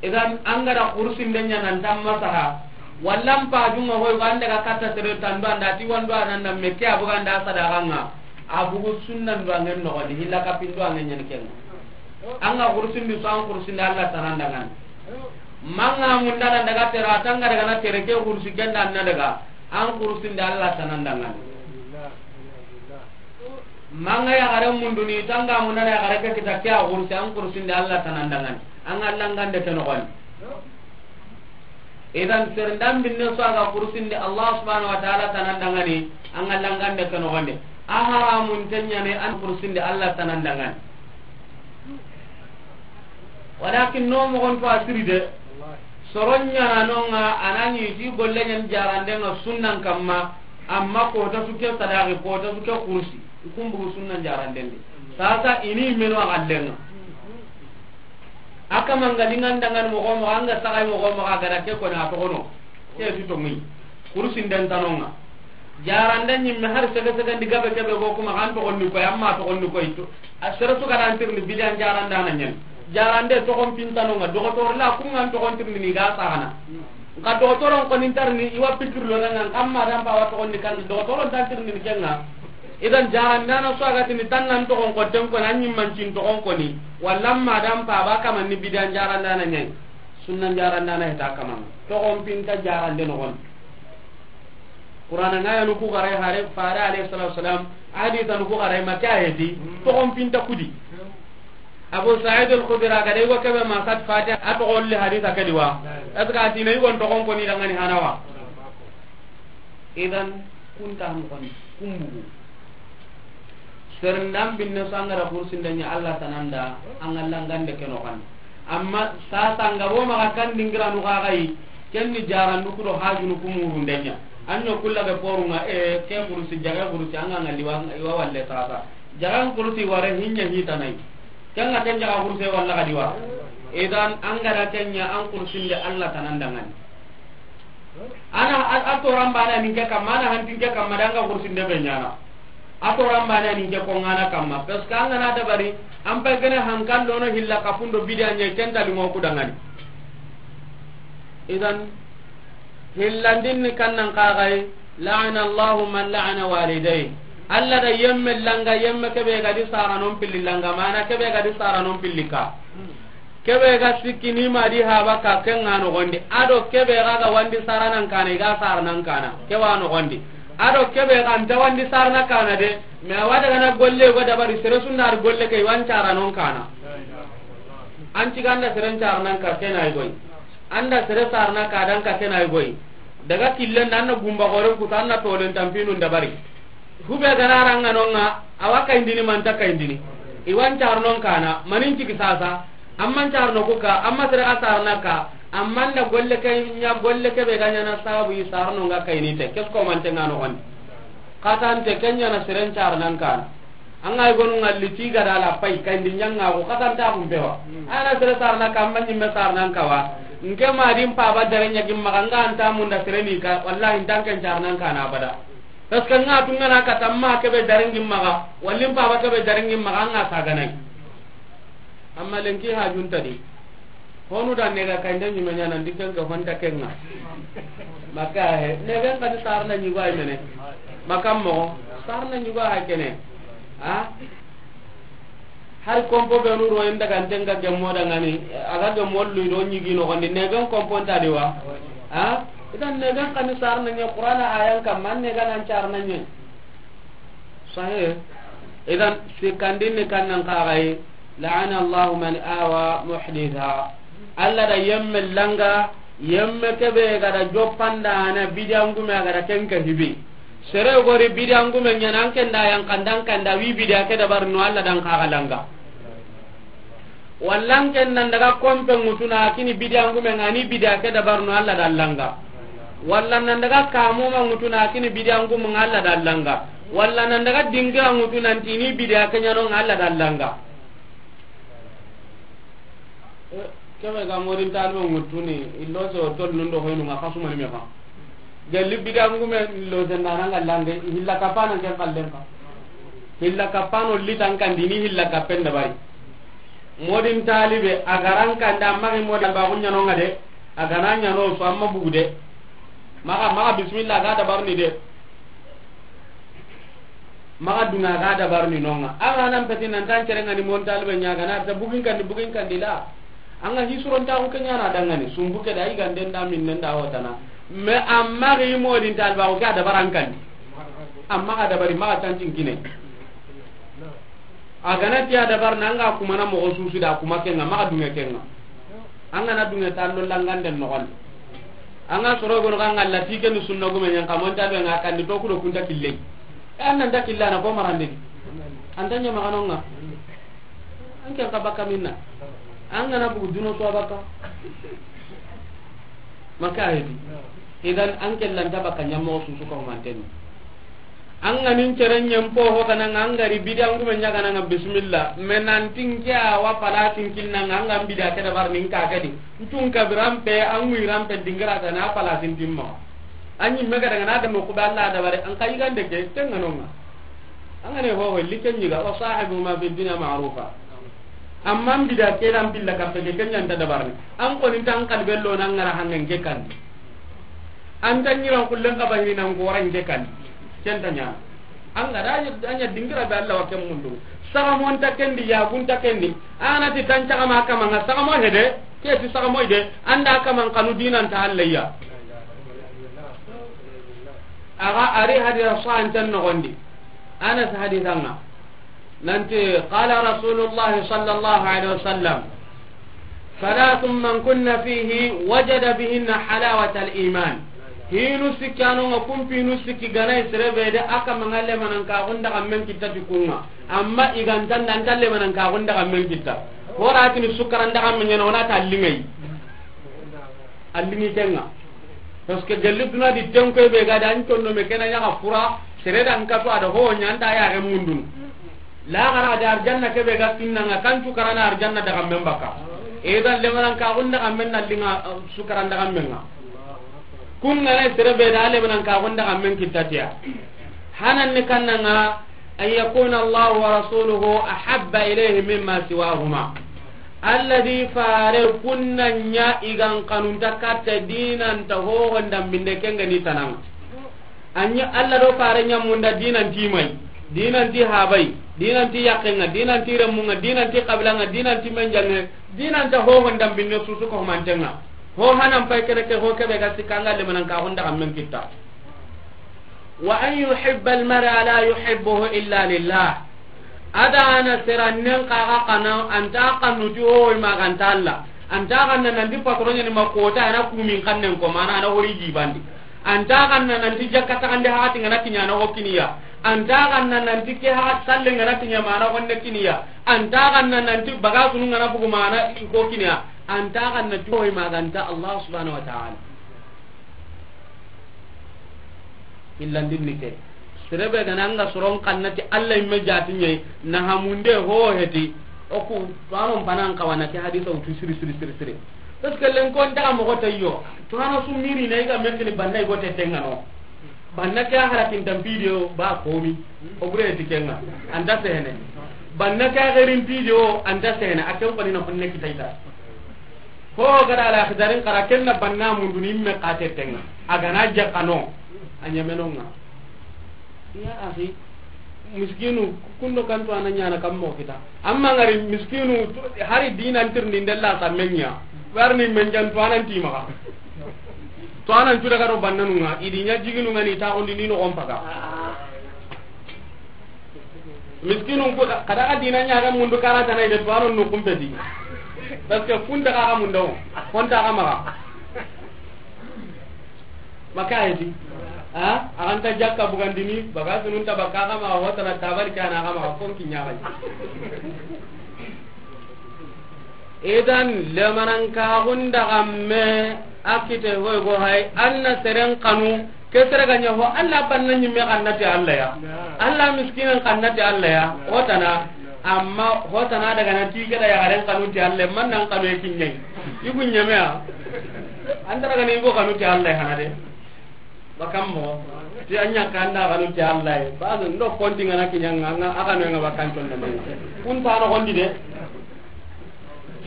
Idan, an ga da xurusinden ɲa nan tan masaha, walla n pajunga hoy, an daga katta sere tandu anda ti wandu ananda me ke a buga nda sadaxanga, a bugu sunnan duwangen noxondi, hilla kapin duwangen ɲani kenga. An ga xurusindi so, an xurusindi Allah tanandangani. Manga mundana daga tera, tanga daga na tere ke xurusi kenda na daga, an xurusindi Allah tanandangani. Manga yaxare munduni, tanga mundana yaxare ke kita ke a xurusi, an xurusinde Allah tanandangani. An ga langande ke noxondi. Idan, sere ndan binne so a ga xurusinde Allah subhanahu wa ta'ala tanandangani, an ga langande ke noxondi. A haramun tenyane an xurusinde Allah tanandangani. Walakin no mogon to a siri de. Soron ɲana nonga, anani ti golle ɲan jarande nga sunnan kamma, amma kota su ke sadaqi, kota su ke kursi, i kumbugu sunnan jaranden de. Sasa ini meno a gallenga. Aka manga lingan dangan mogo mogo, anga sagai mogo mogo, a gara ke kona togono. Ke tu tongi. Kursi nden tanonga. Jarande ɲimme har sege sege ndi gabe kebe go kuma kan toxondi koy, amma toxondi koy to. A sere su ga dan tirni bidan jarandana ɲen. Jarande toxon pintanonga, doxotor la kungan toxon tirni ni ga saxana. Nka doxotoron koni ntarni, i wa pikir lo nanga, kamma dan pa wa toxondi kan, doxotoron tan tirni ni kenga. Idan jarandana so a ga tini tan nan toxon ko ten ko nan ɲimman cin toxon koni. Walla amma dan pa ba kaman ni bidan jarandana ɲen. Sunnan jarandana heta kaman. Toxon pinta jarande noxon. Qur'ana ngaya nu ku gare hare, fare alayhi salatu wasalam, hadisa nu ku gare, ma ke a heti, toxon pinta kudi. Abu Sa'id al-Khudri a ga de, i go kebe ma sat Fatiha, a toxo li hadisa ke di wa. Est-ce que a tine i go toxon koni dangani hanawa? Idan, kunta han koni, kumbugu. Sere ndan binne so an ga da kursinde ɲa Allah tananda, an ga langande ke noxon. Amma sasa nga bo maxa kan dingiranu xa xayi, ken ni jarandu ku do hajunu ku murunde ɲa. An ɲo kulla be porunga, e, ke kursi, jaga kursi, an ga ngali wa, i wa walle sasa. Jaga kursi ware hinya hitanai. Ken nga ken jaga kursi walla ga di wa. Idan, an ga da ken ɲa, an kursinde Allah tanandangani. Ana a, a toran bana nin ke kamma, ana hantin ke kamma, danga kursinde be ɲana. A toran bana nin ke ko ngana kamma. Parce que an ga na dabari, an pay gene hankan lono hilla kafundo bidiya ɲe kenta limo ku dangani. Idan, hillandin ni kannan kaxay, la'ana Allahu man la'ana walidayhi. Allah da yemme langa, yemme kebe ga di saranon pilli langa, mana kebe ga di saranon pilli ka. Kebe ga sikki ni ma di haba ka, ken nga noxondi. Ado kebe ga ga wandi saranan kana, i ga saranan kana. Ke wa noxondi. Ado kebe ga nta wandi sarana kana de. Me a wa daga na golle go dabari, sere sundar golle ke, i wan saranon kana. An ci ganda seren saranan ka, ken ay goy. Anda sere sarana ka dan ka, ken ay goy. Daga killen dan na gumba goren ku tan na tolen tampinun dabari. Hube gana ranga nonga, awa kayindini, manta kayindini. Iwan carnon kana, manin ciki sasa, amman carno kuka, amma sere a sarna ka, amman da golle ke ɲa, golle ke be ga ɲana sabu i sarno nga kayini te, kesko mante nga noxondi. Katante ke ɲana seren carnan kana. An ga i gonu ngalli ti ga da la pay, kayindi ɲanga ko katanta kun pewa. Ana sere sarna ka, amman ɲimme sarnan kawa. Nke ma din paba dare ɲa gimma ga nga anta munda sere ni ka, wallahi ntanken carnan kana abada. Parce que nga tunga na kata ma kebe daringin maga, wallin paba kebe daringin maga, nga saganai. Amma lenki hajunta di. Honu da nega kayinde ɲime ɲana ndi ken ke honta kenga. Maka he, negen kadi sarna ɲigo ay mene. Maka mo, sarna ɲigo ay kene. Ha? Hari kompo be nu ro inda kan tenga gemmo da ngani, aga gemmo lu do ɲigi noxondi, negen kompo nta di wa. Ha? Idan negen kani sarna ɲe Qur'ana ayan kamma, negen an carna ɲe. Sahih. Idan sikandin ni kannan kaxay, la'ana Allahu man awa muhditha. Allah da yemme langa, yemme kebe ga da joppanda na bidiyangume, ga da kenka hibi. Sere gori bidiyangume ɲana, an kenda yan kandan kanda wi bidiya ke dabar no, Allah dan kaxa langa. Walla n ken nan daga kompe ŋutuna kini bidiya ngume ŋa ni bidiya ke dabarno Alla da langa. Walla nan daga kamuma ŋutuna kini bidiya ngume ŋa Alla da langa. Walla nan daga dingira ŋutuna ntini bidiya ke ɲano ŋa Alla da langa. Kebe ga modin talbe ŋutuni illo so tol nundo hoynu ŋa kasuma ni me fa. Gelli bidiya ngume lo zendana ŋa lange hilla kapana ken kallen ka. Hilla kapano litan kandi ni hilla kapen dabari. Modin talibe a garan kanda magi modin ba kunya no ŋa de. A gana ɲano so amma bugu de. Maga maga bismillah ga dabarni de. Maxa dunga ga dabarni no ŋa. Axa nan peti nan tan kere ŋa ni mon talibe ɲa ga na ta bugin kandi bugin kandi la. An ga hisuron ta ko kenya na dangani sumbu ke da i ganden da min nan da hotana. Me amma ga i modin taliba ko ga dabaran kandi. Amma ga dabari maxa tancin kine. A gana tiya dabar na nga kuma na moxo susu da kuma kenga maxa dunge kenga. An gana dunge tallo langanden noxon. An ga soro gono kan Allah ti ken sunna gume ɲan kamon ta be nga kandi to kudo kunta kille. E an nan ta killa na ko marande di. An ta ɲama kanonga. An ken ka baka minna. An gana bugu duno so baka. Maka hedi. Idan an ken lanta baka ɲammo susu ko manten. An ga nin cere ɲempo ho kana nga an gari bidiya ngume ɲa kana nga bismillah. Me nan tinke a wa palasin kinna nga an ga bidiya ke dabar nin ka kedi. Ntun kabiran pe an wiran pe dingira kana palasin timma. An yi mega daga na da mo ku balla dabare an kai gande ke tenga nonga. An ga ne ho ho liken ɲiga wa sahibu ma fi dunya ma'rufa. Amma bidiya ke lan billa ka pe ke ken ɲanta dabarni. An ko ni tan kalbello nan ngara hangen ke kan. An ta ɲiran kullen ka bahini nan goran ke kan. Ken ta ɲa. An ga da anya dingira be Allah wa ken mundu. Saga mon ta kendi ya gun ta kendi. Ana ti tan caga ma kama nga saga mo hede. Ke ti saga mo ide. Anda kama kanu dinan ta Allah ya. Aga ari hadira so an tan no gondi. Anas hadisanga. Nanti, qala Rasulullah sallallahu alaihi wasallam, ثلاث من كن فيه وجد بهن حلاوة الإيمان. Hinu sikki anonga kumpi hinu sikki gana i sere be de aka manga lemanan ka gunda ga men kitta ti kunga. Amma i ga nta nda nta lemanan ka gunda ga men kitta. Hora tini sukaran da ga men ɲana wona ta lingai. Allini kenga. Parce que gelli duna di tenko be ga da an tonno me kena ɲaga fura, sere da an kato a da ho ɲa an ta ya ga mundunu. La gara da arjanna ke be ga kinna nga kan tu karana arjanna daga men baka. E dan lemanan ka gunda ga men na linga, uh, sukaran daga men nga. Kun ngana sere be da lemanan ka gunda ga men kitatiya. Hanan ni kannanga, أن يكون الله ورسوله أحب إليه مما سواهما. Alla di fare kunna ɲa i gan kanunta katta dinanta hohon dambinde kenga ni tananga. Anya Alla do fare ɲa munda dinanti mai, dinanti habai, dinanti yakenga, dinanti remunga, dinanti kabilanga, dinanti menjange, dinanta hohon dambinde susu ko mantenga. Ho hanan pay kene ke ho kebe ga sikanga lemanan ka gunda ga men kitta. وأن يحب المرء لا يحبه إلا لله. Ada na serannen kaga kana anta kanuti o ma ganta Allah. Anta kanna nanti patronya ni makota ana kumin kannen ko mana ana hori jibandi. Anta kanna nanti jakka ta kande hati ngana kinya na hokiniya. Anta kanna nanti ke ha salle ngana kinya mana honne kiniya. Anta kanna nanti baga sunu ngana bugu mana hokiniya. Anta kanna ti o ma ganta Allah subhanahu wa ta'ala. Hillandin ni ke. Serebe gana anga soron kannati Allah imme jati ɲe na hamunde ho heti. Oku tuwanon panan kawana ke hadisa utu siri siri siri siri. Parce que len kon ta mo ko tayo. Tuwana sumiri na iga mekni banna igo te tengano. Banna ke harakin tampidio ba komi. O bure ti kenga. Anta sehene. Banna ke gerin pidio anta sehene. Aken ko ni na kunne kitaita. Ho gada ala khidarin kara kenna banna mundu ni me kate tenga. Agana jakano. Anyamenonga. Ya akhi, miskinu kundo kanto ananya na kammo kita. Amma ngari miskinu hari dinan tirni ndella samenya. Warni menjan to anan timaka. To anan tuda karo bannanunga. Idinya jiginu ngani ta ondi ni no ompaka. Miskinun ku kada ka dina ɲaga mundu karata na ide tuwano no kumpeti. Parce que kunta ka mundu, konta ka maga. Maka hedi. Ha? Aganta jakka bugandini, baga sunun ta baka ka maga, hotana tabari kana ka maga, kon kinya bai. Idan, lemanankaxun daxamme a kite hoy go hay, an na seren xanu, ke sere ga ɲa ho, Alla banna ɲimme xanna ti Alla ya, Alla miskinen xanna ti Alla ya, hotana, amma hotana daga na ti ke da yaxaren xanu ti Alla, man nan xanu e kiɲe, i gu ɲeme ya, an ta daga ni i go xanu ti Alla ya hana de. Bakan mo ti a ɲa kanda xanu ti Alla ye. Ba ndo konti ngana kiɲanga nga a xanu nga bakan ton da men. Kun ta no gondi de.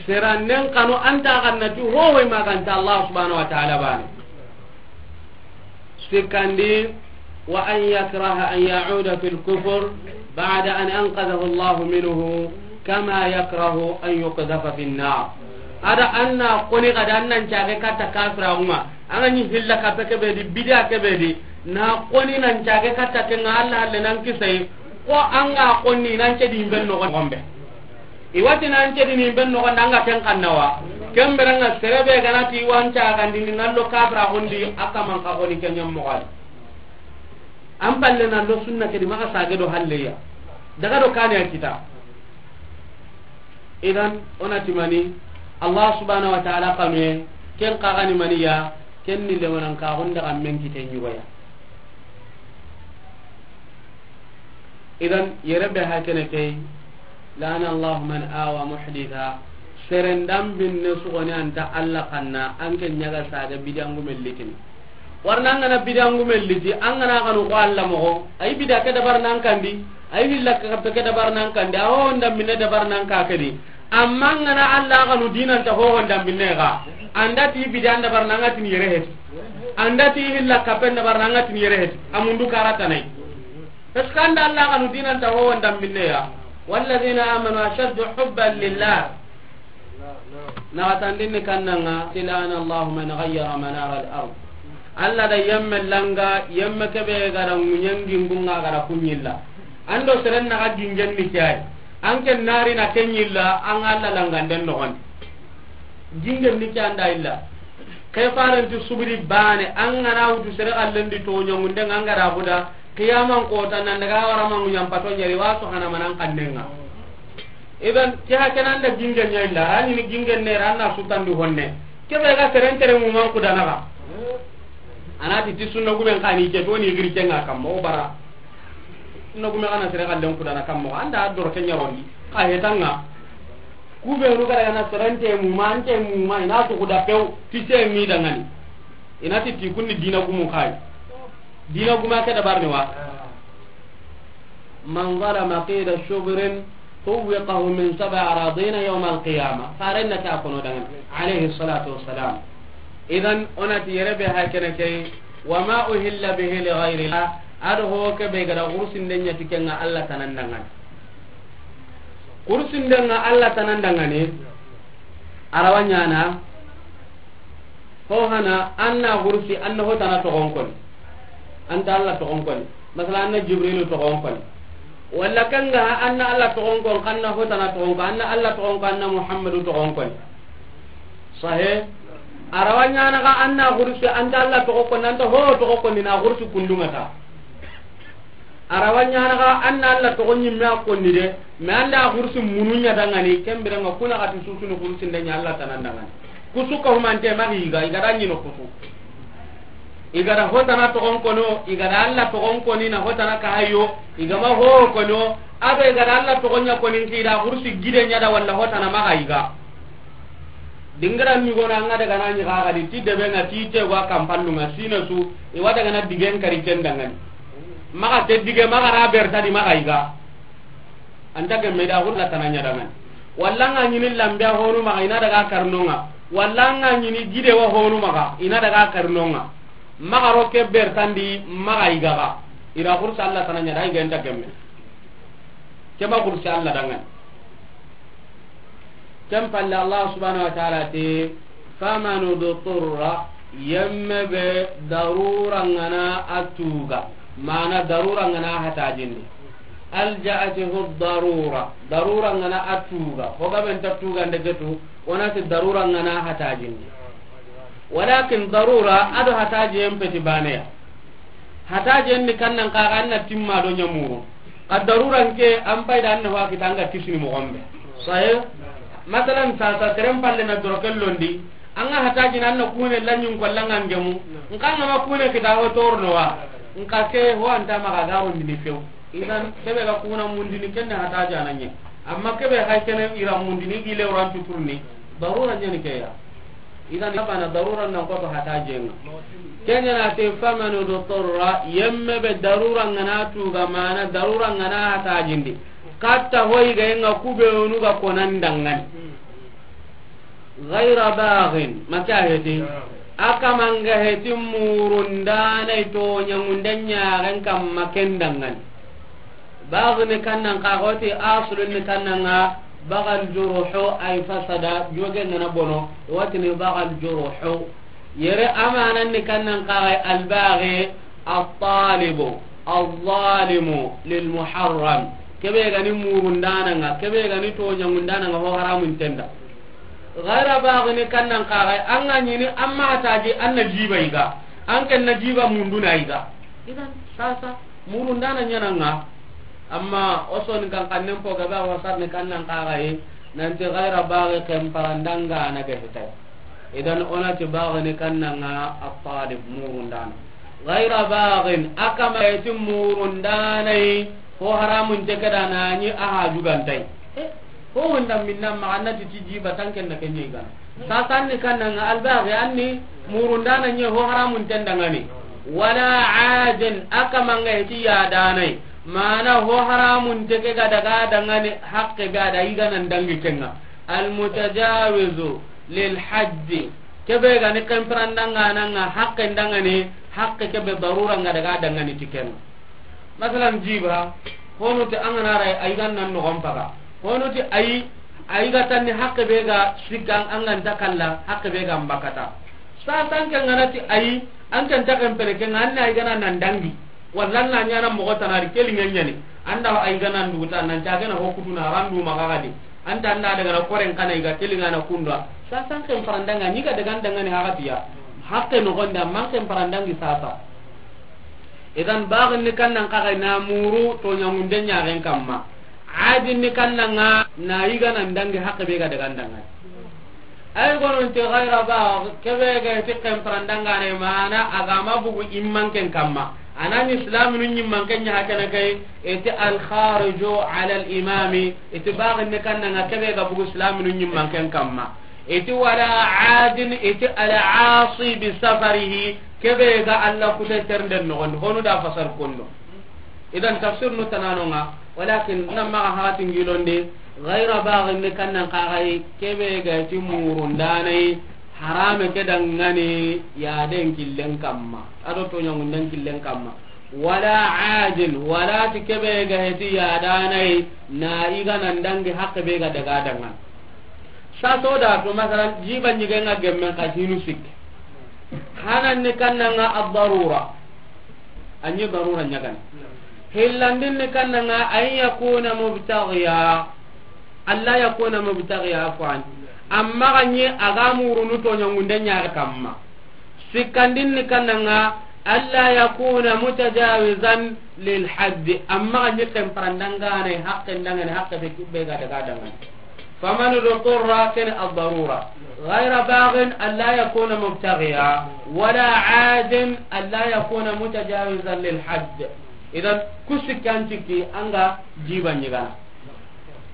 Sera nen xanu an ta xanna ti ho hoy ma kan ta Allah subhanahu wa ta'ala bane. Sikandi, wa an yakraha an ya'uda fil kufr ba'da an anqadhahu Allah minhu kama yakrahu an yuqdhafa fin nar. Ada anna koni kada annan cage kata kafira uma. An ga ɲi hilla kappe ke be di, bidiya ke be di, na koni nan cage katta ke nga Alla halle nan kisay, ko an ga koni nan cedi ben no gombe. I wati nan cedi ni ben no gombe, an ga ken xannawa. Ken beranga serebe ganati wan cagandi ni nan lo kabra hondi, a kaman ka koni ken ɲam mo gal. An palle nan lo sunna ke di maxa sage do halleya. Daga do kane a kita. Idan, o na ti mani, Allah subhanahu wa ta'ala xanuye, ken xa ga ni mani ya, ken ni lemanankaxun daxammen kite ɲugoya. Idan, yere be ha kene key, la'ana Allahu man awa muhditha, seren da binne sugoni an ta Alla xanna, an ke ɲa ga saga bidiyangumen litini. Warna an ga na bidiyangumen liti, an ga na xanu ko Alla moxo, ay bidiya ke dabar nan kandi, ay hilla kappe ke dabar nan kandi, a ho nda binne dabar nan ka ke di. Amma an ga na Alla xanu dinan ta ho nda binne ga. An da ti bidiya dabar nan ga tin yere heti. An da ti hilla kappe dabar nan ga tin yere heti. A mundu karatanay. Parce que an da Alla xanu dinan ta ho nda binne ya. Walladhina amanu ashaddu hubban lillah. Naxatandinni kannanga, ti la'ana Allahu man ghayyara manara al-ard. Alla da yemme langa, yemme kebe ga da ŋuɲangi ngunga ga da kuɲilla. An do seren na ga gingen ni kay. An ke nari na kenyilla, an Alla langanden no gon. Gingen ni kay an da illa. Ke farenti subri bane, an ga na wutu sere allen di to ɲangunde nga an ga da buda, Qiyaman kota nan daga wara mangu ɲampato ɲeri wa so hana manan kannenga. Idan, ke ha kenan da gingen ɲa illa, ani ni gingen ne ranna sutandi honne. Kebe ga seren tere mu man kudana ga. Anati ti sunna gumen kani ke to ni giri kenga kam mo bara. Sunna gumen kana sere kallen kudana kam mo. Anda doro kenya rondi. Ka hetanga. Kube ru kada na seren te mu man te mu man ina to kuda pew ti se mi dangani. Inati ti kunni dina gumu kai. Dina guma ke dabarni wa. Man zalama qida shubrin tuwwiqahu min sab'i aradina yawm al-qiyamah. Farenna ta kono dangan. Alayhi salatu wassalam. Idan, o na ti yere be ha kene ke, wa ma uhilla bihi li ghayri Allah. Ado ho ke be ga da gursin den ɲa ti kenga Alla tanan dangan. Gursin den nga Alla tanan dangane. Arawa ɲana. Ho hana, an na gursi, an na hotana toxon koni. An ta Alla toxon koni. Masala, an na Jibrilu toxon koni. Walla kanga, an na Alla toxon kon, an na hotana toxon kon, an na Alla toxon kon, an na Muhammadu toxon koni. Sahe. Arawa ɲana ga an na gursi, an ta Alla toxon koni, an ta ho toxon koni, na gursi kundunga ta. Arawa ɲana ga an na Alla toxo ɲimme a konni de, mais an da gursi munu ɲa dangani, ken biranga kuna gati susuni gursi nde ɲa Alla tanan dangani. Kusu ka humante ma ga i ga, i ga da ɲino kusu. I ga da hotana toxon kono, i ga da Alla toxon koni na hotana ka hayo, i ga ma ho kono, ado i ga da Alla toxon ɲa koni ki da gursi gide ɲa da walla hotana ma ga i ga. Dingira ni gona nga daga na ni ga ga di ti debe nga ti te wa kampallu nga sina su i wa daga na digen kari ken dangani. Maxa ke dige maxa ra berta di maxa i ga. Anta ke me da gurla tananya dangani. Walla nga ɲini lambe honu maxa ina daga karnonga. Walla nga ɲini gide wa honu maxa ina daga karnonga. Maxa ro ke bertandi maxa i ga ga. Ira gursa Alla tananya da i ga anta ke me. Ke ma gursa Alla dangani. Ken palle Allah subhanahu wa ta'ala ti, faman udturra, yemme be darura ngana a tuga, mana darura ngana hatajindi. Alja'atihu darura, darura ngana a tuga, hoga ben ta tuga ndegetu, wona ti darura ngana hatajindi. Walakin darura, ado hataji en peti baneya. Hataji en ni kannan kaga anna timma do nyamuru. Ka darura nke an payda anna wa kita anga kisini mo gombe. Saye? Masalan, sasa, seren palle na doroke londi, an ga hataji na, an na kune lanyin ko langa ngemu, nka an ga ma kune kita ho torno wa, nka ke ho anta maxa ga rondini few. Idan, kebe ga kuna mundini kenne hataja na nye. Amma kebe hay kene ira mundini gile ran tuturni, darura nyani ke ya. Idan, abana darura nan ko to hatajenga. Kenya na te famanu do torra, yemme be darura ngana tu ga mana, darura ngana hatajindi. Katta hoy ga nga kube onu ga konan dangani. Ghaira baghin, maka heti. Aka manga heti murundana ito nyangundan nyaren kam maken dangani. Baghi ni kannan ka goti, aslun ni kannan ga bagal juruhu ay fasada, joge ngana bono, wati ni bagal juruhu. Yere amanan ni kannan ka ga albaghi, at-talibu, al-zalimu lil muharram. Kebe gani murundana nga, kebe gani to nyangundana nga ho haramun tenda. Ghaira baghi ni kannan ka ga, an ga nyini amma taji an na jiba iga. An ken na jiba munduna iga. Idan sasa murundana nyana nga. Amma oso ni kan kannen po gaba wasar ni kannan ka ga yi. Nanti ghaira baghi ken parandanga na ga hitai. Idan onati baghi ni kannan nga at-talib murundana. Ghaira baghin, aka ma heti murundana yi, ho haramun te keda nani aha jugantai. Eh, ho wonda minna ma annati tiji batanken na kenye gana. Sasan ni kannan nga albaghi anni murundana nye ho haramun tendangani. Wala adin, aka manga heti yadanai. Mana ho haramun te ke ga daga dangani haqqe be ada igana ndangi kenga. Al mutajawizu lil haddi. Kebe gani kemprandanga nanga haqqe ndangani, haqqe kebe darura nga daga dangani tikenga. Masalan, jiba, hono ti an ga na ray, ay gan nan no gon paga. Hono ti ay, ay ga tanni haqqe be ga sikkan an ga nta kalla, haqqe be ga mbakata. Sasan ke ngana ti ay, an kan ta kan pere ke ngana ay gana nan dangi. Walla na nyana mogo tanari kelinga nyani. Anda ay gana nduguta nan ta gana ho kutuna randu magagadi. Anta anda daga na koren kana iga kelinga na kunda. Sasan ke mparandanga ni ga daga ndanga ni hagatiya. Haqqe no gonda man ke mparandangi sasa. Idan, baghin ni kannan ka ga na muru to nyangunde nyaren kamma. Adin ni kannan nga na iga nan dangi haqqe be ga daga ndanga. Ay gonon te ghaira bagh, kebe ga ti kemprandanga ne mana agama bugu immanken kamma. Anan islaminu nyimmanken nya hakana kai, iti al khariju ala al imami, iti baghin ni kannan nga kebe ga bugu islaminu nyimmanken kamma. Iti wala adin, iti al asi bi safarihi, kebe ga Allah kute ternden no gondi, honu da fasar kondo. Idan tafsir nu tanano nga, walakin nan maga hakatin gilondi, ghaira baghin ni kannan ka ga yi, kebe ga ti murundana yi, harame ke dangani, ya den killen kamma, ado to nyangunden killen kamma. Wala adin, wala ti kebe ga heti yadana yi, na iga nan dangi haqqe be ga daga dangan. Saso da to, masalan, jiba nyige nga gemmen ka hinu sik. Hanan ni kannan nga ad-darura. Anyi darura nyagan. Hillandin ni kannan nga an yakuna mubtaghiya. Alla yakuna mubtaghiya, afwan. Amma ganyi aga murunu to nyangunde nyare kamma. Sikkandin ni kannan nga, alla yakuna mutajawizan lil haddi, amma ga nyi ken parandangane, haqqe ndangane, haqqe be kibbe ga daga dangane. Faman udturra, ken ad-darura. Ghayra baghin, alla yakuna mubtaghiya, wala adin, alla yakuna mutajawizan lil hadd. Idan, ku sikkanti ki anga jiba nyigana.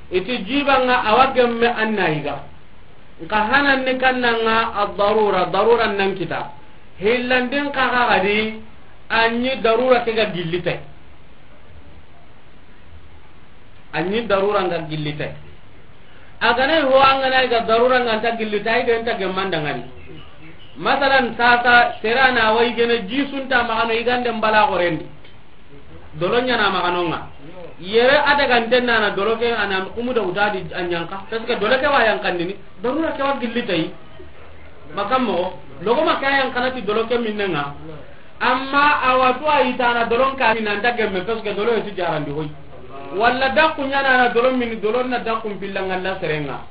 Iti jiba nga awa gemme anna yiga. Nka hanan ni kannan nga ad-darura, darura nan kita. Hillandin ka ga gadi, anyi darura ke ga gillite. Anyi darura nga gillite. Agana ho angana ga darura nga nta gillite, ay ga nta gemmandangani. Masalan, sasa, serana wa igene jisunta magano igande mbala gorendi. Dolo nyana maganonga. Yere adaga ntenna na dolo ke ana kumu da utadi anyanka. Parce que dolo ke wa yankandini. Darura ke wa gilli tay. Makammo. Logo maka yankana ti dolo ke minnenga. Amma awatu ayitana dolon ka minanta gemme parce que dolo yeti jarandi hoy. Walla dakku nyana na dolo min, dolo na dakku billangalla serenga.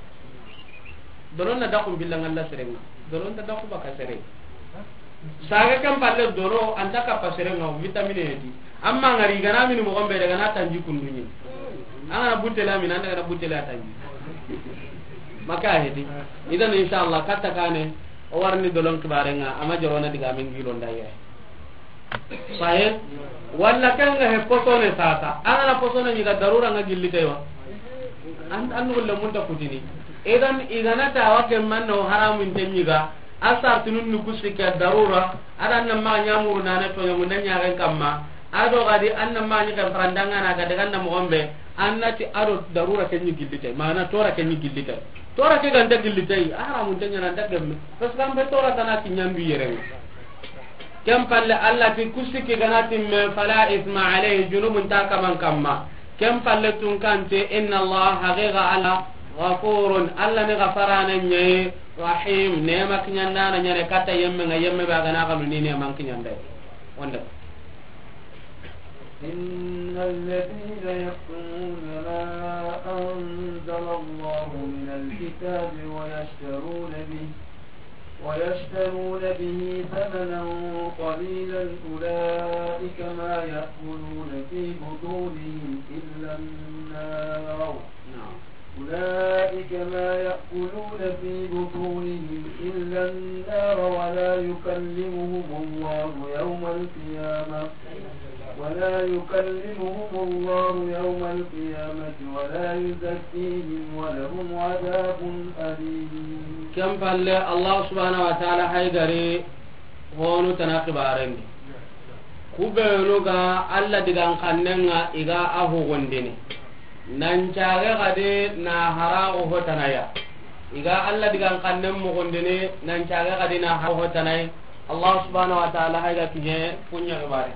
Dolo na dakku billangalla serenga. Dolo na dakku baka sere. Saga kan palle dolo anta kappa serenga, vitamine yeti. Amma ngari gana mini mo gombe daga na tanji kundunyi. Angana butela mina daga na butela tanji. Maka hedi. Idan inshallah katta kane o warni dolon kibarenga ama jorona diga min gilon da ye. Sahe. Walla kanga he posone sasa. Angana posone nyiga darura nga gilli taywa. An an gulle mun ta kutini. Idan igana ta wa ke manno haramun te nyiga. Asar tunun nu kusi ke darura. Adan na ma nyamuru nana to nyamu nanya ren kamma. Ado gadi anna ma ni kan farandanga na gadi ganna mo gombe. Annati ado darura ke nyi gilli tay. Mana tora ke nyi gilli tay. Tora ke ganta gilli tay. Haramun te nyana da gemme. Parce que ambe tora tana ki nyandu yere. Kem palle Allah ti kusiki gana timme fala isma alayhi junubun ta kaman kamma. Kem palle tun kante inna Allah haqiqa Allah ghafurun Allah ne ghafarana nyaye rahim ne mak nyandana nyane kata yemme nga yemme ba gana kanu ni ne man kinyande. Wonde. إن الذين يكتمون ما أنزل الله من الكتاب ويشترون به، ويشترون به ثمنا قليلا أولئك ما يأكلون في بطونهم إلا النار. نعم. أولئك ما يأكلون في بطونهم إلا النار ولا يكلمهم الله يوم القيامة، ولا يكلمهم الله يوم القيامة ولا يزكيهم ولهم عذاب أليم. Ken palle, Allah subhanahu wa ta'ala hay gari honu tana xibarendi. Ku benu ga Allah digan kannenga i ga a hugundini. Nan cage gadi na haraxu hotanaya. I ga Allah digan kannen mugundini, nan cage gadi na haraxu hotanay. Allah subhanahu wa ta'ala hay ga kiɲe kuɲa xibare.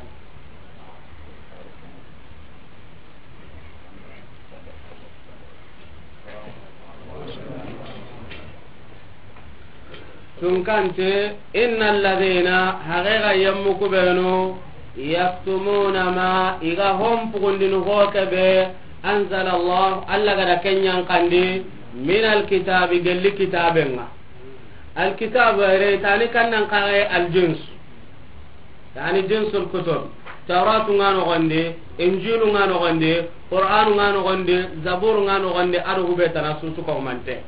Tunkante, inna alladhina, haqiqa yemmu kubenu, yaktumuna ma, i ga hon pugundini ho kebe, anzala Allah, Allah gada kenyan kandi, min alkitabi, gelli kitabenga. Alkitabu ere tani kannan kaxe aljins. Yani jinsul kutub. Tawratu nga noxondi, Injilu nga noxondi, Qur'anu nga noxondi, Zaburu nga noxondi, ado hube tana susu ko mante.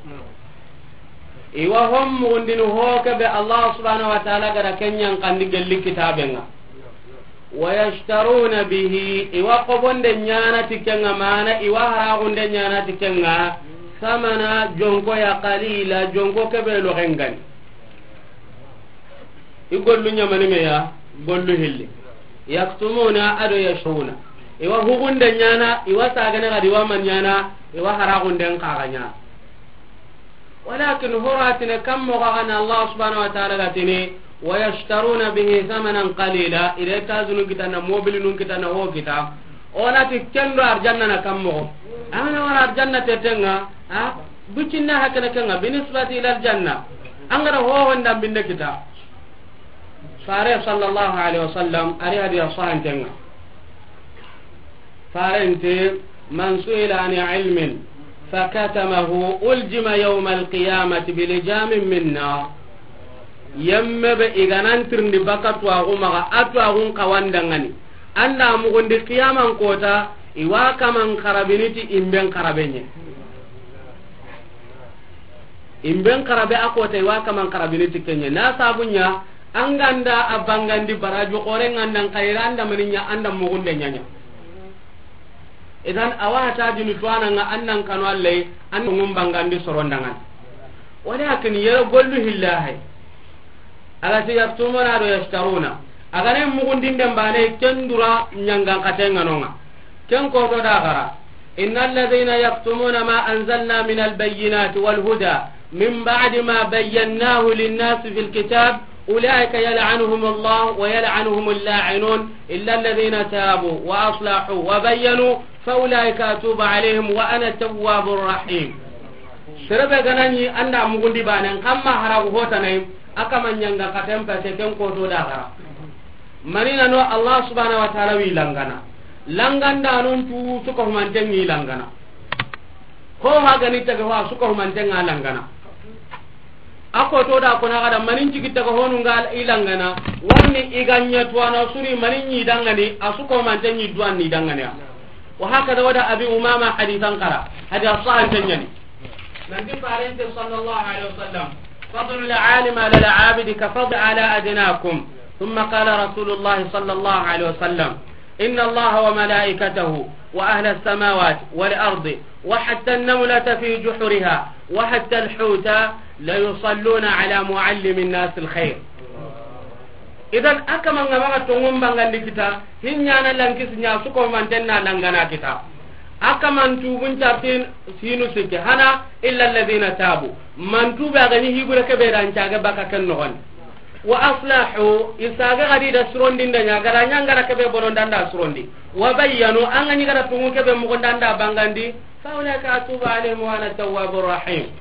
Iwa hom mugundini ho kebe Allah subhanahu wa ta'ala gada kenyan kandi gelli kitabenga. Wa yashtaruna bihi, iwa kobonde nyana tikenga mana, iwa haragunde nyana tikenga, samana jonko ya qalila, jonko kebe lo gengani. I gollu ɲamani me ya, gollu hilli. Yaktumuna ado yashawuna. Iwa hugunde ɲana, iwa sagane gadi wa man ɲana, iwa haragunden kaga ɲana. Walakin horatine kam mo gana Allah subhanahu wa ta'ala gatini, wa yashtaruna bihi thamanan qalila, ire tazunu kitana, mobilinun kitana, ho kita. Onati kendo arjanna na kam mo. Amana wala arjanna tetenga, ha? Bucinna hakana kenga, binisbati ila aljanna. Angara ho honda binde kita. Fare sallallahu alaihi wasallam, ari hadiya sahantenga. Farente, man su'ila an ilmin, fakatamahu, uljima yawma alqiyamati bilijamin min nar. Yemme be iganan tirndi baka tuwaxu maxa, a tuwaxun kawandangani. Anda mugundi qiyaman kota, iwa kaman karabiniti imben karabenye. Imben karabe a kota iwa kaman karabini ti kenye. Na sabunya, anganda a bangandi baraju kore ngandan kayira anda maninya anda mugunde nyanya. Idan awa ta dini tuwana nga annan kanu allai, an ngum bangandi sorondangan. Walakin yere gollu hillahi. Ala ti yaktumuna do yashtaruna. Agane mugundinden bane kendura nyangan katenga nonga. Ken koto da gara. إن الذين يكتمون ما أنزلنا من البينات والهدى من بعد ما بيناه للناس في الكتاب أولئك يلعنهم الله ويلعنهم اللاعنون إلا الذين تابوا وأصلحوا وبينوا فأولئك أتوب عليهم وأنا التواب الرحيم. Serebe ganani anda mugundi banen kamma haragu hotanai, akama nyanga katen pete ken koto da gara. Manina no Allah subhanahu wa ta'ala wi langana. Langanda non tu suka humanten ni langana. Ho ha gani taga ho suka humanten nga langana. Ako to da kona gada manin jigi taga honu nga i langana. Warni iganya tuwana suri manin ni dangani, a suka humanten ni duwan ni dangani. Wa hakada wada Abi Umama hadithan kara. Hadi asahan tanyani. Nanti farente sallallahu alaihi wasallam, فضل العالم على العابد كفضلي على أدناكم. ثم قال رسول الله صلى الله عليه وسلم: إن الله وملائكته وأهل السماوات والأرض وحتى النملة في جحرها وحتى الحوت ليصلون على معلم الناس الخير. Idan, a kaman ga maxa tonŋun bangandi kita, hinyana lankisi ɲa su ko manten na langana kita. A kaman tubun cartin sinu sikke hana, illa alladhina tabu. Man tuba ga ni hibure ke be dan caga baka ken noxon. Wa aslahu, i saga gadi da surondi nda ɲa, gara ɲa ngara ke be bonon danda surondi. Wa bayyanu, an ga ni gara tungu ke be mo danda bangandi, fa ulaika atubu alaihim wa ana tawwabur rahim.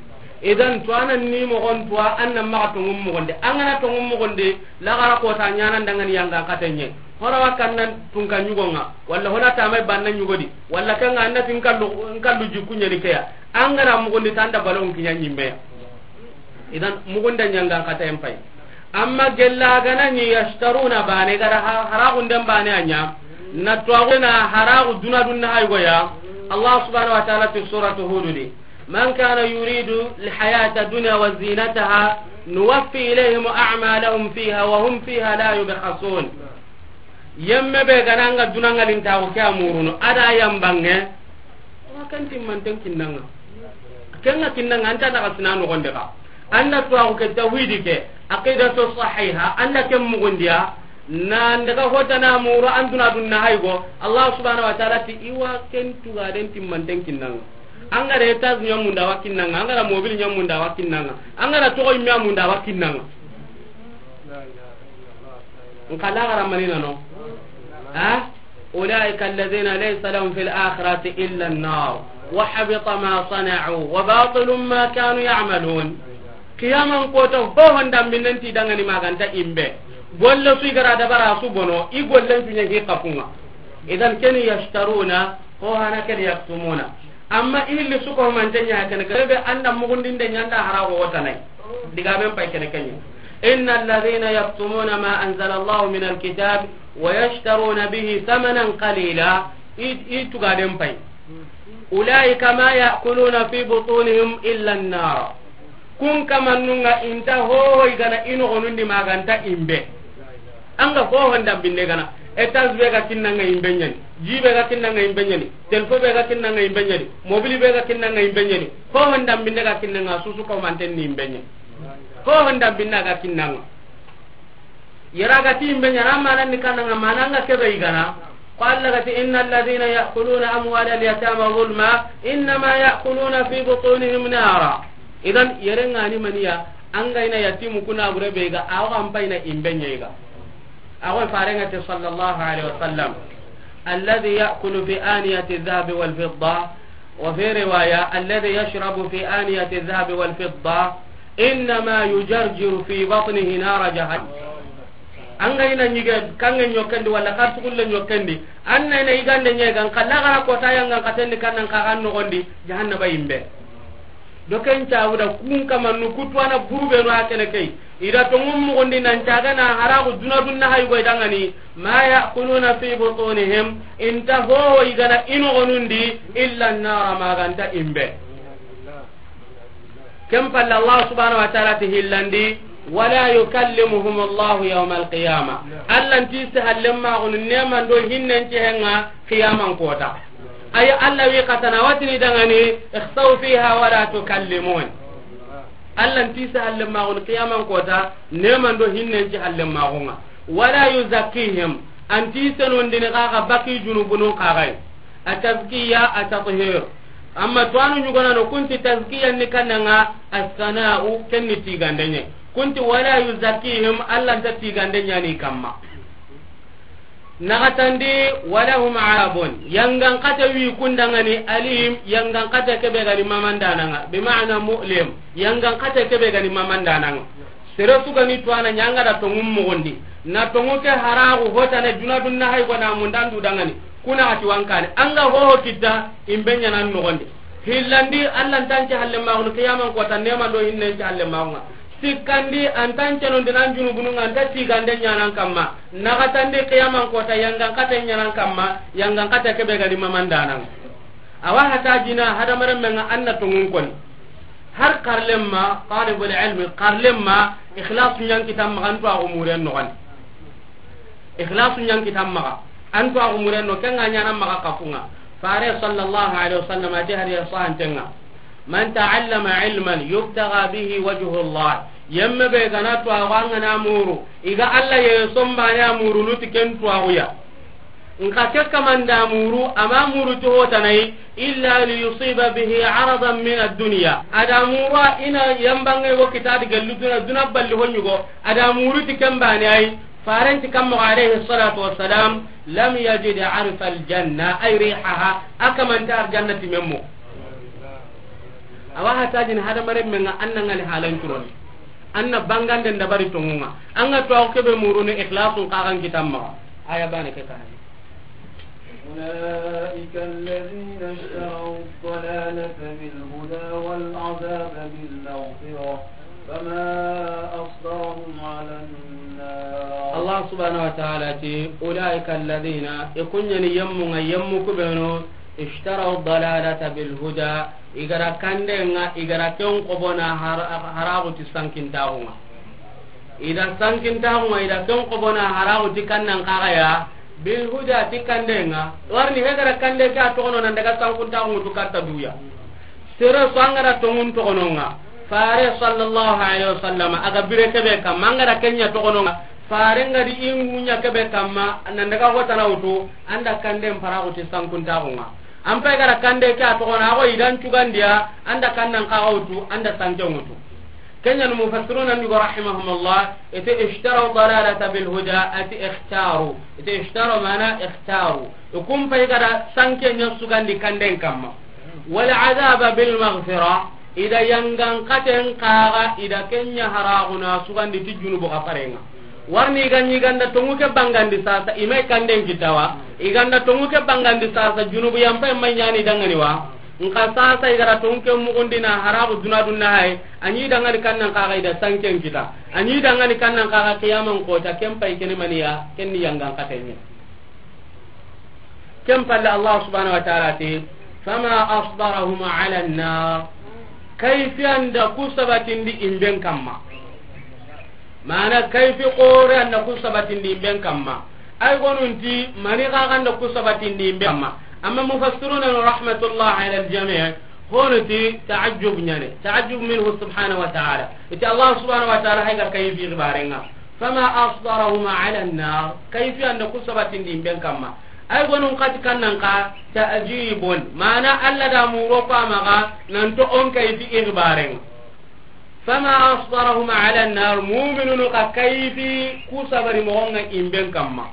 Idan, tuwana ni moxon tuwa, an na maxa tonŋun moxon di. An ga na tonŋun moxon di, laxara kota ɲanan dangani yangan xatenɲe. Hora wa kannan tunka ɲugonga, walla hona tamay banna ɲugodi, walla kanga an na tin kallu, kallu jikku ɲeni keya. An ga na moxon di tanda balon kiɲa ɲimmeya. Idan, moxon da ɲangan xaten pay. Amma gella gana ni yashtaruna bane, gara ha-, haragunden bane a ɲa. Na tuwaxu na haragu duna dunna haygoya. Allah subhanahu wa ta'ala ti suratu Hud di: من كان يريد الحياة الدنيا وزينتها نوفي إليهم أعمالهم فيها وهم فيها لا يبخسون. Yemme be gana nga dunangalintaxu ke a murunu, a da yambange, wa ken timmanten kinnanga. Kenga kinnanga, anta daga sina noxonde ka. Anda tuwaxu ke, tawhidi ke, aqidatu sahiha, anda ken mugundiya, nan daga hotana muru, an duna dunna haygo, Allah subhanahu wa ta'ala ti iwa ken tugaden timmanten kinnanga. An ga da étage ɲamunda wa kinnanga, an ga da mobile ɲamunda wa kinnanga, an ga da toxo yimme a munda wa kinnanga. Nka laxara manina no. Ha? أولئك الذين ليس لهم في الآخرة إلا النار وحبط ما صنعوا وباطل ما كانوا يعملون. Qiyaman kota hohon dambinen ti dangani maganta imbe. Golle su i gara dabara su bono, i gollen su ɲa hi kafunga. Idan keni yashtaruna, ho hana keni yaktumuna. Amma i hilli su ko mante ɲa kene, kebe anda mugundinde ɲa anda harago wotanai. Digamen pay kene kenye. إن الذين يكتمون ما أنزل الله من الكتاب ويشترون به ثمنا قليلا. I, i tugaden pay. أولئك ما يأكلون في بطونهم إلا النار. Kun kamannunga inta hoho i gana i noxonundi maganta imbe. Anga hoho ndambinde gana. Étage be ga kinnanga imbe ɲani. Ji be ga kinnanga imbe ɲani. Telefo be ga kinnanga imbe ɲani. Mobili be ga kinnanga imbe ɲani. Hoho ndambinde ga kinnanga susu ko manten ni imbe ɲani. Hoho ndambinde ga kinnanga. Yera ga ti imbe ɲana, manan ni kananga, mananga kebe i gana. Ko Allah ga ti: إن الذين يأكلون أموال اليتامى ظلما إنما يأكلون في بطونهم نارا. Idan, yere ngani maniya, an ga ina yatimu kuna bure be ga, awa an payna imbe ɲe ga. Awa farenga te sallallahu alaihi wasallam: الذي يأكل في آنية الذهب والفضة، وفي رواية: الذي يشرب في آنية الذهب والفضة إنما يجرجر في بطنه نار جهنم. An ga ina ɲige kange ɲokkendi walla kartugulle ɲokkendi, an na ina igande ɲegan kalla gara kota yangan katendi kannan kagan nogondi jahannaba imbe. Do ken cabuda kun kamannu kutuwana burubenu a kene key. Ida tongun mugundi nan cagana haragu duna dunna haygoy dangani. ما يأكلون في بطونهم, inta hoho igana inogonundi, إلا النار, maganta imbe. Ken palle Allah subhanahu wa ta'ala ti hillandi: ولا يكلمهم الله يوم القيامة. Allah nti se hallen maxunu neman do hinnen cehenga qiyaman kota. Ay Allah wi katana watini dangani: اخسئوا فيها ولا تكلمون. Allah nti se hallen maxunu qiyaman kota neman do hinnen ce hallen maxunga. ولا يزكيهم, anti senondini kaga baki junubunun kagai. A tazkiya, a tathir. Amma tuwanu ɲugonano kunti tazkiya ni kannanga as-sana'u, kenni tigandenye. Kunti ولا يزكيهم, Allah nta tigandenya ni kamma. Nagatandi: ولهم عذاب, yangan kata wi kundangani, alim, yangan kata kebe gani mamandananga, بمعنى مؤلم, yangan kata kebe gani mamandananga. Sere sugani tuwana ɲanga da tongun mugundi. Na tongu ke haragu hotane duna dunna hay gona mundandu dangani. Kuna ati wankane. Anga hoho kitta imbe ɲanan nogondi. Hillandi, Allah ntanci halle maxunu qiyaman kota neman do hinnen ci halle maxunga. Sikkandi, antan cenon dinan junubununga anta tigande ɲanan kamma. Nagatandi qiyaman kota yangan kate ɲanan kamma, yangan kate kebe gani mamandanan. Awa hata jina hadamaren menga anna tongun koni. Har xarlemma, talibul ilmi, xarlemma, ikhlasu ɲa n kita maxa, an tuwaaxu muren noxon di. Ikhlasu ɲa n kita maxa, an tuwaaxu muren no, ken ga ɲaana maxa kafunŋa. Fare sallallahu alaihi wasallam a ti hadiya sahantenŋa: "Man ta'allama ilman yubtaga bihi wajhullah." Yemme be ga na tuwaaxu, an ga na a muru, i ga Alla ye sonbane a murunu ti ken tuwaaxu ya. Nxa ke kaman da a muru, a ma a muru ti hotanayi, illa liyusiba bihi aradan min ad-dunya. A da a muru a i na yambanŋe wo kita di gellu duna, duna balli ho ɲugo. A da a muru ti ken bane ayi, Faren ti kamma alayhi salatu wassalam, lam yajid arfa al-janna, ay rihaha, a kaman ta arjanna ti memmo. Awa hatajin hadamaren men ŋa, an na ŋali halan curoni. An na bangande dabari tonŋun ŋa. An ga tuwaaxu ke be murunu ikhlasun xa ga n kita maxa. Aya bane ke kane. أولئك الذين اشتروا الضلالة بالهدى والعذاب بالمغفرة فما أصبرهم على النار. Allah subhanahu wa ta'ala ti, أولئك الذين, i ku ɲa ni yemmu ŋa, yemmu ku be no, اشتروا الضلالة بالهدى, i ga ra kande ŋa, i ga ra ken xobona har-, haraxu ti sankintaxu ŋa. I da sankintaxu ŋa, i da ken xobona haraxu ti kannan xaxa ya, bil huda ti kande ŋa. Warni he ga ra kande ke a toxono nan daga sankintaxu ŋutu katta duya. Sere su an ga ra tonŋun toxono ŋa, Fare sallallahu alaihi wasallam a ga bire ke be kamma, an ga ra ken ɲa toxono ŋa, Fare n ga di i ŋu ɲa ke be kamma, nan daga hotana wutu, an da kanden paraxu ti sankintaxu ŋa. An pay ga ra kande ke a toxono, a xo i da n cugandiya, an da kannan xaxa wutu, an da sanke ŋutu. Ken ɲa ni mufassiruna ndi go rahimahumullah, i ti اشتروا الضلالة بالهدى, a ti اختاروا. I ti اشتروا mana اختاروا. I ku n pay ga ra sanke ɲa sugandi kanden kamma. والعذاب بالمغفرة, i da yangan xaten xaxa, i da ken ɲa haraxuna sugandi ti junubu xafaren ŋa. Warni i ga ɲi ganda tonŋu ke bangandi sasa, i may kanden kita wa. I ganda tonŋu ke bangandi sasa, junubu yan pay may ɲa ni dangani wa. Nxa sasa i ga ra tonŋu ke muxundina haraxu duna dunna hay, a ɲi dangani kannan xaxa i da sanken kita. A ɲi dangani kannan xaxa kiyaman kota, ken pay kene maniya, ken ni yangan xaten ɲa. Ken palle Allah subhanahu wa ta'ala ti, فما أصبرهم على النار. Kayfi an da ku sabatindi imben kamma. Mana kayfi xore an da ku sabatindi imben kamma. Ay gonunti mani xaxa an da ku sabatindi imben kamma. Amma mufassiruna rahmatullah ala al-jami', hono ti ta'ajjub ɲa ni. Ta'ajjub minhu subhanahu wa ta'ala. I ti Allah subhanahu wa ta'ala hay ga kayfi xibarenŋa. فما أصبرهم على النار. Kayfi an da ku sabatindi imben kamma. Ay gonun xati kannan xa ta'jibun. Mana Alla da muro ko a maxa nan to on kayfi ixbaren. فما أصبرهم على النار. Mu'minunu xa kayfi ku sabari moxon ŋa imben kamma.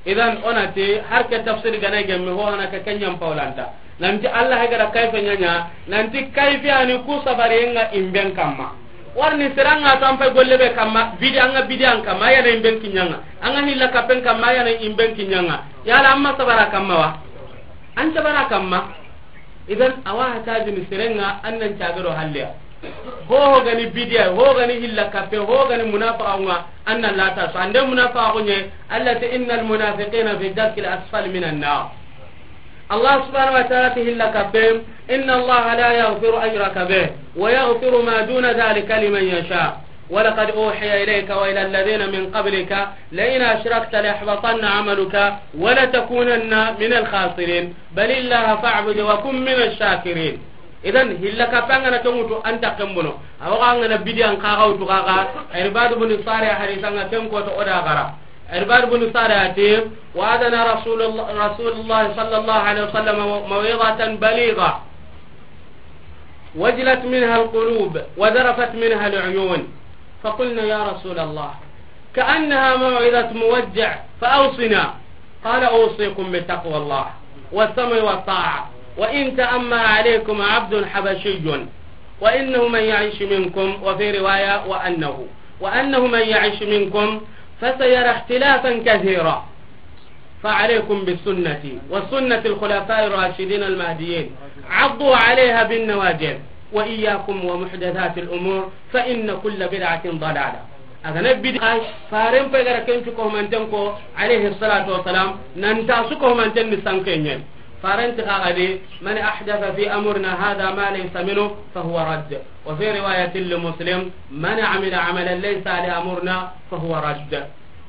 Idan, o na ti, har ke tafsir gana gemme, ho hana ke ken ɲa n pawlanta. Nanti Allah ga ra kayfa ɲa ɲa, nanti kayfi ani ku sabari ŋa imben kamma. Warni sere ŋa to an pay golle be kamma, bidi an ŋa bidi an kamma, a ya na imben kiɲa ŋa. An ŋa hilla kapen kamma, a ya na imben kiɲa ŋa. Yala an ma sabara kamma wa? An sabara kamma. Idan, awa hatajini sere ŋa, an nan cagero halliya. Ho ho gani bidiya, ho gani hilla kape, ho gani munafaqa ŋa, an nan lata so. Ande munafaqa ŋa, Allah ta, إن المنافقين في الدرك الأسفل من النار. Allah subhanahu wa ta'ala ta hilla kape, إن الله لا يغفر أن يشرك به ويغفر ما دون ذلك لمن يشاء. ولقد أوحي إليك وإلى الذين من قبلك لئن أشركت ليحبطن عملك ولتكونن من الخاسرين. بل الله فاعبد وكن من الشاكرين. Idan, hilla kape an ga na ken wutu an ta ken bono. Awa an ga na bidiya an xaxa wutu xaxa. Irbad bin Sariya hadisa ŋa ken ko to o da gara. Irbad bin Sariya ti, وعظنا رسول الله، رسول الله صلى الله عليه وسلم موعظة بليغة. وجلت منها القلوب وذرفت منها العيون. فقلنا: يا رسول الله، كأنها موعظة مودع، فأوصنا. قال: أوصيكم بتقوى الله والسمع والطاعة، وإن تأمر عليكم عبد حبشي، وإنه من يعش منكم، وفي رواية: وأنه، وأنه من يعش منكم فسيرى اختلافا كثيرا، فعليكم بسنتي وسنة الخلفاء الراشدين المهديين، عضوا عليها بالنواجذ، وإياكم ومحدثات الأمور، فإن كل بدعة ضلالة. A ga na bidi, Faren pay ga ra ken cu ko manten ko, alayhi salatu wassalam, nan ta su ko manten ni sanke ɲen. Faranti xa ga di, "Man ahdatha fi amrina hadha ma laysa minhu fa huwa radd." Wa fi riwayatin li Muslim, "Man amila amalan laysa li amrina fa huwa radd."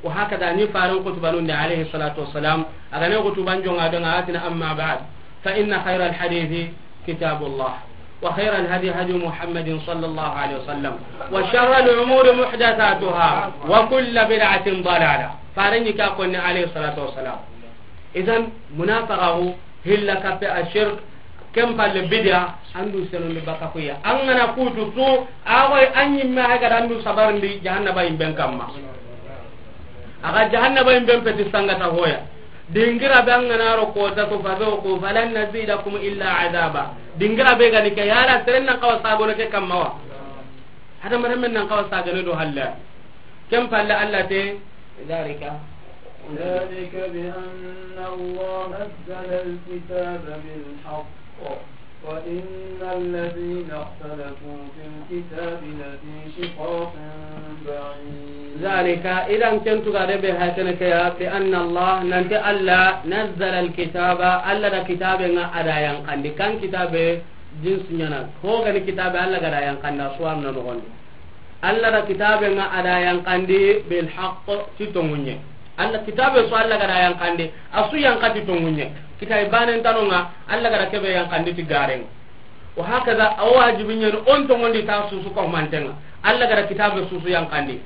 Wa hakada ni faran kutubanun da alayhi salatu wassalam, a ga ne kutuban jonga don a ga tini, "Amma ba'd, fa inna khayra al-hadithi kitabullah, wa khayra al-hadi hadi Muhammadin sallallahu alayhi wasallam, wa sharra al-umuri muhdathatuha, wa kullu bid'atin dalala." Faran ni ka konni alayhi salatu wassalam. Idan, munafaqaxu, hilla kappe, a shirk, ken palle bid'a, andu senondi baka kuya. An ga na kutu tu, a goy an yimme hay ga da andu sabarndi jahannaba yimben kamma. A ga jahannaba yimben peti sangata hoya. Dingira be an ga na ro ko ta to fa do ko falan nazidakum illa azaba. Dingira be ga ni ke yala seren nan kawa sagono ke kamma wa. Hada mare men nan kawa sagane do halla. Ken palle Allah te, ذلك ذلك بأن الله نزل الكتاب بالحق وإن الذين اختلفوا في الكتاب لفي شقاق بعيد. ذلك، idan ken tugade be hakene ke ya, بأن الله, nanti Allah, نزل الكتاب, Allah da kitabe nga ada yanqandi, kan kitabe jinsu nyana, ho gani kitabe Allah ga da yanqanda suwan na nogondi. Allah da kitabe nga ada yanqandi bil haqq, ti tongunye. Allah kitabe su Allah ga da yanqandi, a su yanqa ti tongunye. Kitabe banen tanonga, Allah ga da kebe yanqandi ti garen. Wa hakaza, a wajibi nyen on tongondi ta susu ko mantenga. Allah ga da kitabe susu yanqandi.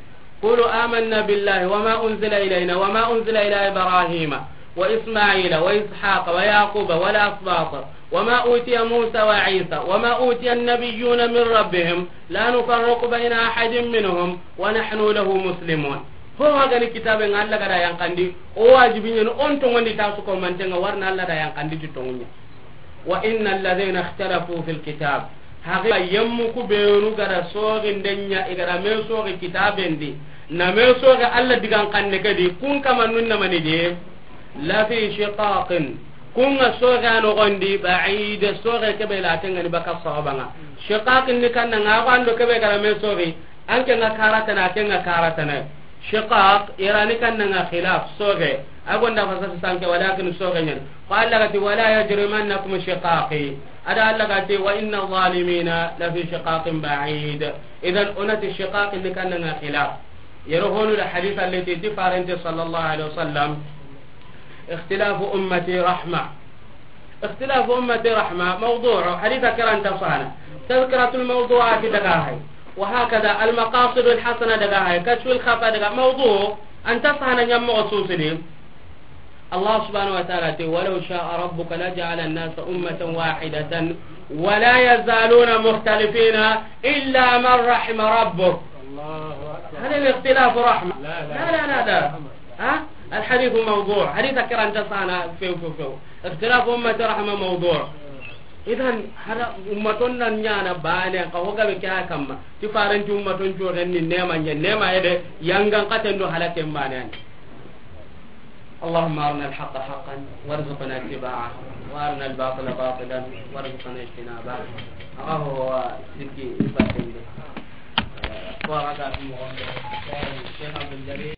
قولوا آمنا بالله وما أنزل إلينا وما أنزل إلى إبراهيم وإسماعيل وإسحاق ويعقوب والأسباط وما أوتي موسى وعيسى وما أوتي النبيون من ربهم لا نفرق بين أحد منهم ونحن له مسلمون. Ho hagani kitabe nga Allah ga da yanqandi, o wajibi nyen on tongondi ta su ko mantenga warna Allah da yanqandi ti tongunya. وإن الذين اختلفوا في الكتاب, haqiqa yemmu ku benu ga da sogi ndenya, i ga da me sogi kitabendi, na me sogi Allah digan kanne ke di, kun kama nun na mani de, لفي شقاق, kun ga sogi a nogondi, بعيد, sogi kebe la tengani baka sahabanga. Shiqaq ni kanna nga ko ando kebe ga da me sogi, An ke nga karatana, ke nga karatana. Shiqaq, irani kanna nga khilaf, soge. A gonda fasasi sanke, walakin soge nyen. Ko Allah gati, "Wala yajrimannakum shiqaqi." Ada Allah gati, "Wa inna zalimina la fi shiqaqin ba'id." Idan, onati shiqaq ni kanna nga khilaf. Yero honu da hadith allati ti farante sallallahu alaihi wasallam. اختلاف أمتي رحمة. اختلاف أمتي رحمة، موضوع، حديث كران تصانا. تذكرة الموضوعات دقاهي. وهكذا المقاصد الحسنة دقاهي. كشف الخفا دقا-، موضوع، أن تصانا يم مغصوص لي. الله سبحانه وتعالى تي، "ولو شاء ربك لجعل الناس أمة واحدة ولا يزالون مختلفين إلا من رحم ربك." الله أكبر. هل الاختلاف رحمة؟ لا، لا، لا، لا، لا. ها؟ الحديث موضوع. حديث كران تصانا فيو، فيو، فيو. اختلاف أمة رحمة موضوع. إذن هذا أمة نانيانا باني، قهوة بكيا كما. تفارن أمة جو غني نيما، نيما يدي، ينغن قتن دو حالة باني. اللهم أرنا الحق حقا وارزقنا اتباعه، وأرنا الباطل باطلا وارزقنا اجتنابه. هو ذكي إبراهيم. ورقة في مغمبة. الشيخ عبد الجليل.